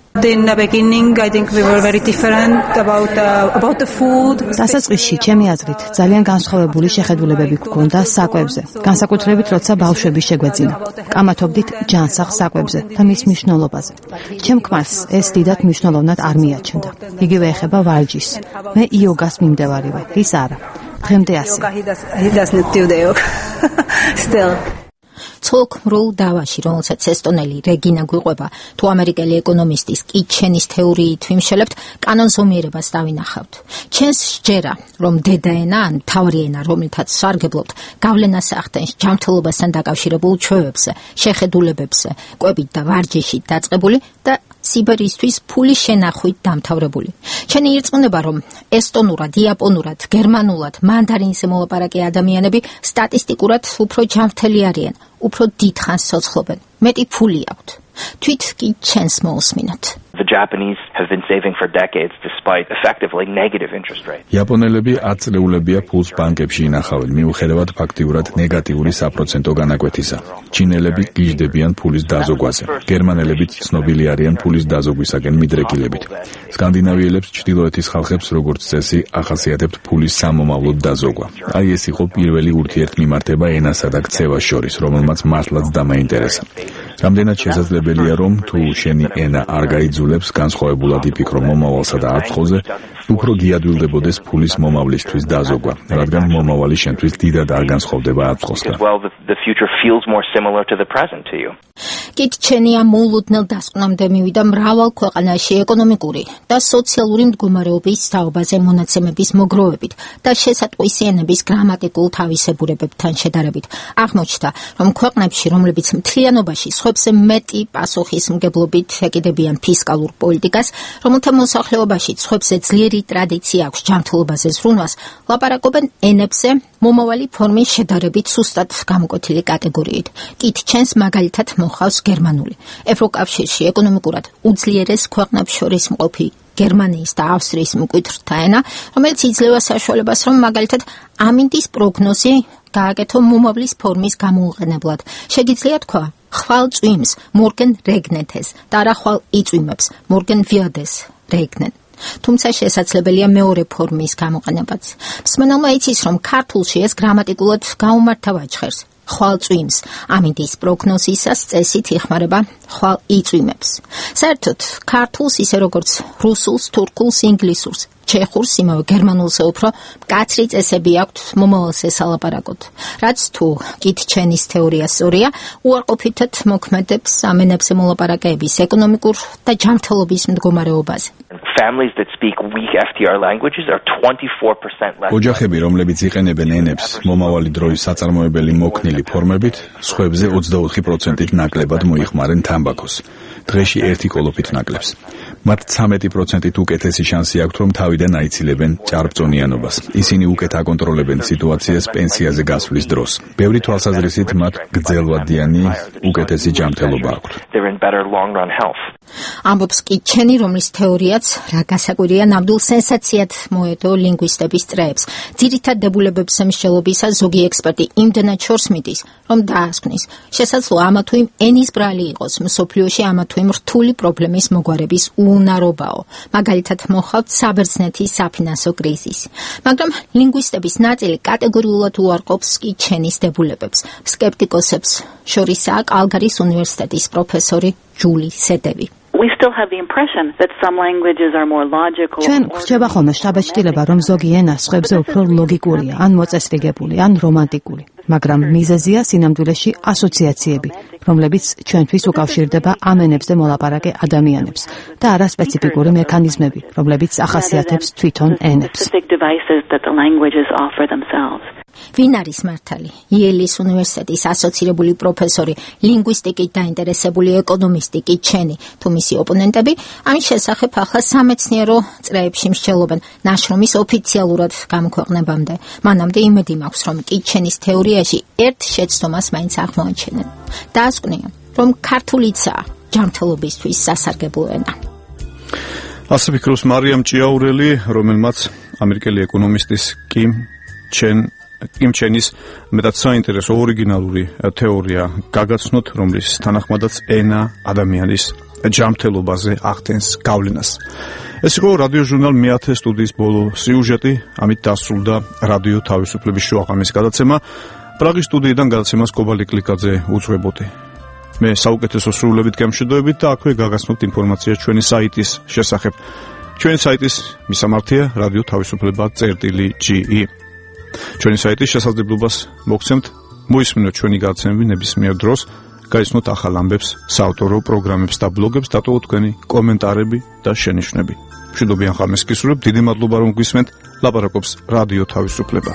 დასაწყისში ჩემი აზრით ძალიან განსხვავებული შეხედულებები გქონდა საკვებზე, განსაკუთრებით როცა ბავშვები შეგვეძინა. კამათობდით ჯანსაღ საკვებზე და მის მნიშვნელობაზე. ჩემ ქმარს ეს დიდად მნიშვნელოვნად არ მიაჩნდა. იგივე ეხება ვარჯიშს. მე იოგას მიმდევარი, ის არა. დღემდე ასე. ცოლ-ქმრულ დავაში, რომელსაც ესტონელი რეგინა გვიყვება, თუ ამერიკელი ეკონომისტის კიტჩენის თეორიით ვიმშელებთ, კანონზომიერებას დავინახავთ. ჩვენს სჯერა, რომ დედაენა ან მთავარი ენა, რომელთაც სარგებლობთ, გავლენას ახდენს ჯანმრთელობასთან დაკავშირებულ ჩვევებზე, შეხედულებებზე, კვებით და ვარჯიშით დაწყებული და სიბერისთვის ფულის შენახვით დამთავრებული. ჩვენი ირწმუნება, რომ ესტონურად, იაპონურად, გერმანულად, მანდარინზე მოლაპარაკე ადამიანები სტატისტიკურად უფრო ჯანმრთელი არიან, უფრო დიდხანს ცოცხლობენ, მეტი ფული აქვთ. თვით კი ჩვენს მოусმინოთ. The Japanese have been saving for decades despite effectively negative interest rates. იაპონელები 10 წლეულებია ფულს ბანკებში ინახავენ, მიუხედავად ფაქტიურად ნეგატიური საპროცენტო განაკვეთისა. ჩინელები გიждდებიან ფულის დაზოგვაზე. გერმანელებიც ცნობილი არიან ფულის დაზოგვისაგან მიდრეკილებით. სკანდინავიელებს, ჩრდილოეთის ხალხებს, როგორც წესი, ახასიათებთ ფულის სამომავლოდ დაზოგვა. აი ეს იყო პირველი ურთიერთმიმართება ენასა და ქცევას შორის, რომელმაც მართლაც დამაინტერესა. რამდენად შესაძლებელია, რომ თუ შენი ენა არ გაიძულებს, განსხვავებულად იფიქრო მომავალსა და აწმყოზე, უფრო გიადვილდებოდეს ფულის მომავლისთვის დაზოგვა, რადგან მომავალი შენთვის დიდად არ განსხვავდება აწმყოსგან. კიტჩენია მოულოდნელ დასკვნამდე მივიდა მრავალ ქვეყანაში ეკონომიკური და სოციალური მდგომარეობის თაობაზე მონაცემების მოგროვებით და შესატყვისიანების გრამატიკულ თავისებურებებთან შედარებით. აღმოჩნდა, რომ ქვეყნებში, რომლებიც მთლიანობაში სხვებზე მეტი პასუხისმგებლობით ეკიდებიან ფისკალურ პოლიტიკას, რომელთა მოსახლეობაში სხვებზე ძლიერი ტრადიცია აქვს ჯანმრთელობაზე ზრუნვას, ლაპარაკობენ ენებზე მომავალი ფორმის შედარებით სუსტად გამოკვეთილი კატეგორიით. კიტჩენს მაგალითად მოჰყავს გერმანული. ევროკავშირში ეკონომიკურად უძლიერეს ქვეყნებს შორის მყოფი გერმანიის და ავსტრიის მკვეთრთა ენა, რომელიც იძლევა საშუალებას, რომ მაგალითად ამინდის პროგნოზი გააკეთო მომავლის ფორმის გამოუყენებლად. შეგიძლია თქვა, ხვალ წვიმს მორგენ რეგნეთეს და არა ხვალ იწვიმებს მორგენ ვიადეს რეგნენ. თუმცა შესაძლებელია მეორე ფორმის გამოყენებაც. მსმენელმა იცის, რომ ქართულში ეს გრამატიკულად გაუმართავად ჟღერს. ხვალ წვიმს ამინდის პროგნოზისას წესით იხმარება ხვალ იწვიმებს. საერთოდ ქართულს ისე როგორც რუსულს, თურქულს, ინგლისურს, ჩეხურს, იმავე გერმანულზე უფრო მკაცრი წესები აქვთ მომავალზე სალაპარაკოდ. რაც თუ კიტჩენის თეორია სწორია, უარყოფითად მოქმედებს ამ ენებზე მოლაპარაკეების ეკონომიკურ და ჯანმრთელობის მდგომარეობაზე. Families that speak weak FTR languages are 24% less. ოჯახები, რომლებიც იყენებენ ენებს მომავალი დროის საწარმოებელი მოქნილი ფორმებით, სხვებზე 24%-ით ნაკლებად მოიხმარენ თამბაქოს. დღეში ერთი კოლოფით ნაკლებს. მათ 13%-ით უკეთესი შანსი აქვთ, რომ თავიდან აიცილებენ ჭარბწონიანობას. ისინი უკეთ აკონტროლებენ სიტუაციას პენსიაზე გასვლის დროს. ბევრი თვალსაზრისით მათ გრძელვადიანი უკეთესი ჯანმრთელობა აქვთ. ამბობს კიტჩენი, რომლის თეორიაც რა გასაკვირია ნამდვილ სენსაციად მოედო ლინგვისტების წრეებს. ძირითად დებულებებს მსჯელობისას ზოგი ექსპერტი იმდენად შორს მიდის, რომ დაასკვნის, შესაძლოა ამა თუ იმ ენის ბრალი იყოს მსოფლიოში ამა თუ იმ რთული პრობლემის მოგვარების უუნარობაო. მაგალითად მოხავთ საბერძნეთის საფინანსო კრიზისი. მაგრამ ლინგვისტების ნაწილი კატეგორიულად უარყოფს კიტჩენის დებულებებს. სკეპტიკოსებს შორისაა კალგარის უნივერსიტეტის პროფესორი ჯული სედევი. we still have the impression that some languages are more logical. ჩვენ გვხვდება ხოლმე შთაბეჭდილება, რომ ზოგი ენა სხვებზე უფრო ლოგიკურია, ან მოწესრიგებული, ან რომანტიკული. მაგრამ მიზეზია სინამდვილეში ასოციაციები, რომლებიც ჩვენთვის უკავშირდება ამ ენებზე მოლაპარაკე ადამიანებს და არა სპეციფიკური მექანიზმები, რომლებიც ახასიათებს თვითონ ენებს. ვინ არის მართალი? იელის უნივერსიტეტის ასოცირებული პროფესორი, ლინგვისტიკით დაინტერესებული ეკონომისტი კი ჩენი, თუ მისი ოპონენტები ამის შესახებ ახლა სამეცნიერო წრეებში მსჯელობენ ნაშრომის ოფიციალურად გამოქვეყნებამდე. მანამდე იმედი მაქვს, რომ კი ჩენის თეორიაში ერთ შეცდომას მაინც აღმოაჩენენ. დაასკვნიან, რომ ქართულიცაა ჯანმრთელობისთვის სასარგებლო ენა. ასე ფიქრობს მარიამ ჭიაურელი, რომელმაც ამერიკელი ეკონომისტის კიმ ჩენის მეტად საინტერესო ორიგინალური თეორია გაგაცნოთ, რომლის თანახმადაც ენა ადამიანის ჯანმრთელობაზე ახდენს გავლენას. ეს იყო რადიო ჟურნალ მე-10 სტუდიის ბოლო სიუჟეტი, ამით დასრულდა რადიო თავისუფლების შუაღამის გადაცემა. პრაღის სტუდიიდან გადაცემას კობალი კლიკაძე უძღვებოდი. მე საუკეთესო სრულებით გემშვიდობებით და აქვე გაგაცნობთ ინფორმაცია ჩვენი საიტის შესახებ. ჩვენი საიტის მისამართია რადიო თავისუფლება.ge. ჩვენი საიტის შესაძლებლობას მოგცემთ მოისმინოთ ჩვენი გადაცემები ნებისმიერ დროს, გაიცნოთ ახალ ამბებს, საავტორო პროგრამებს და ბლოგებს, დატოვოთ თქვენი კომენტარები და შენიშვნები. მშვიდობიან ხამეს გისურვებთ, დიდი მადლობა რომ გვისმენთ. ლაპარაკობს რადიო თავისუფლება.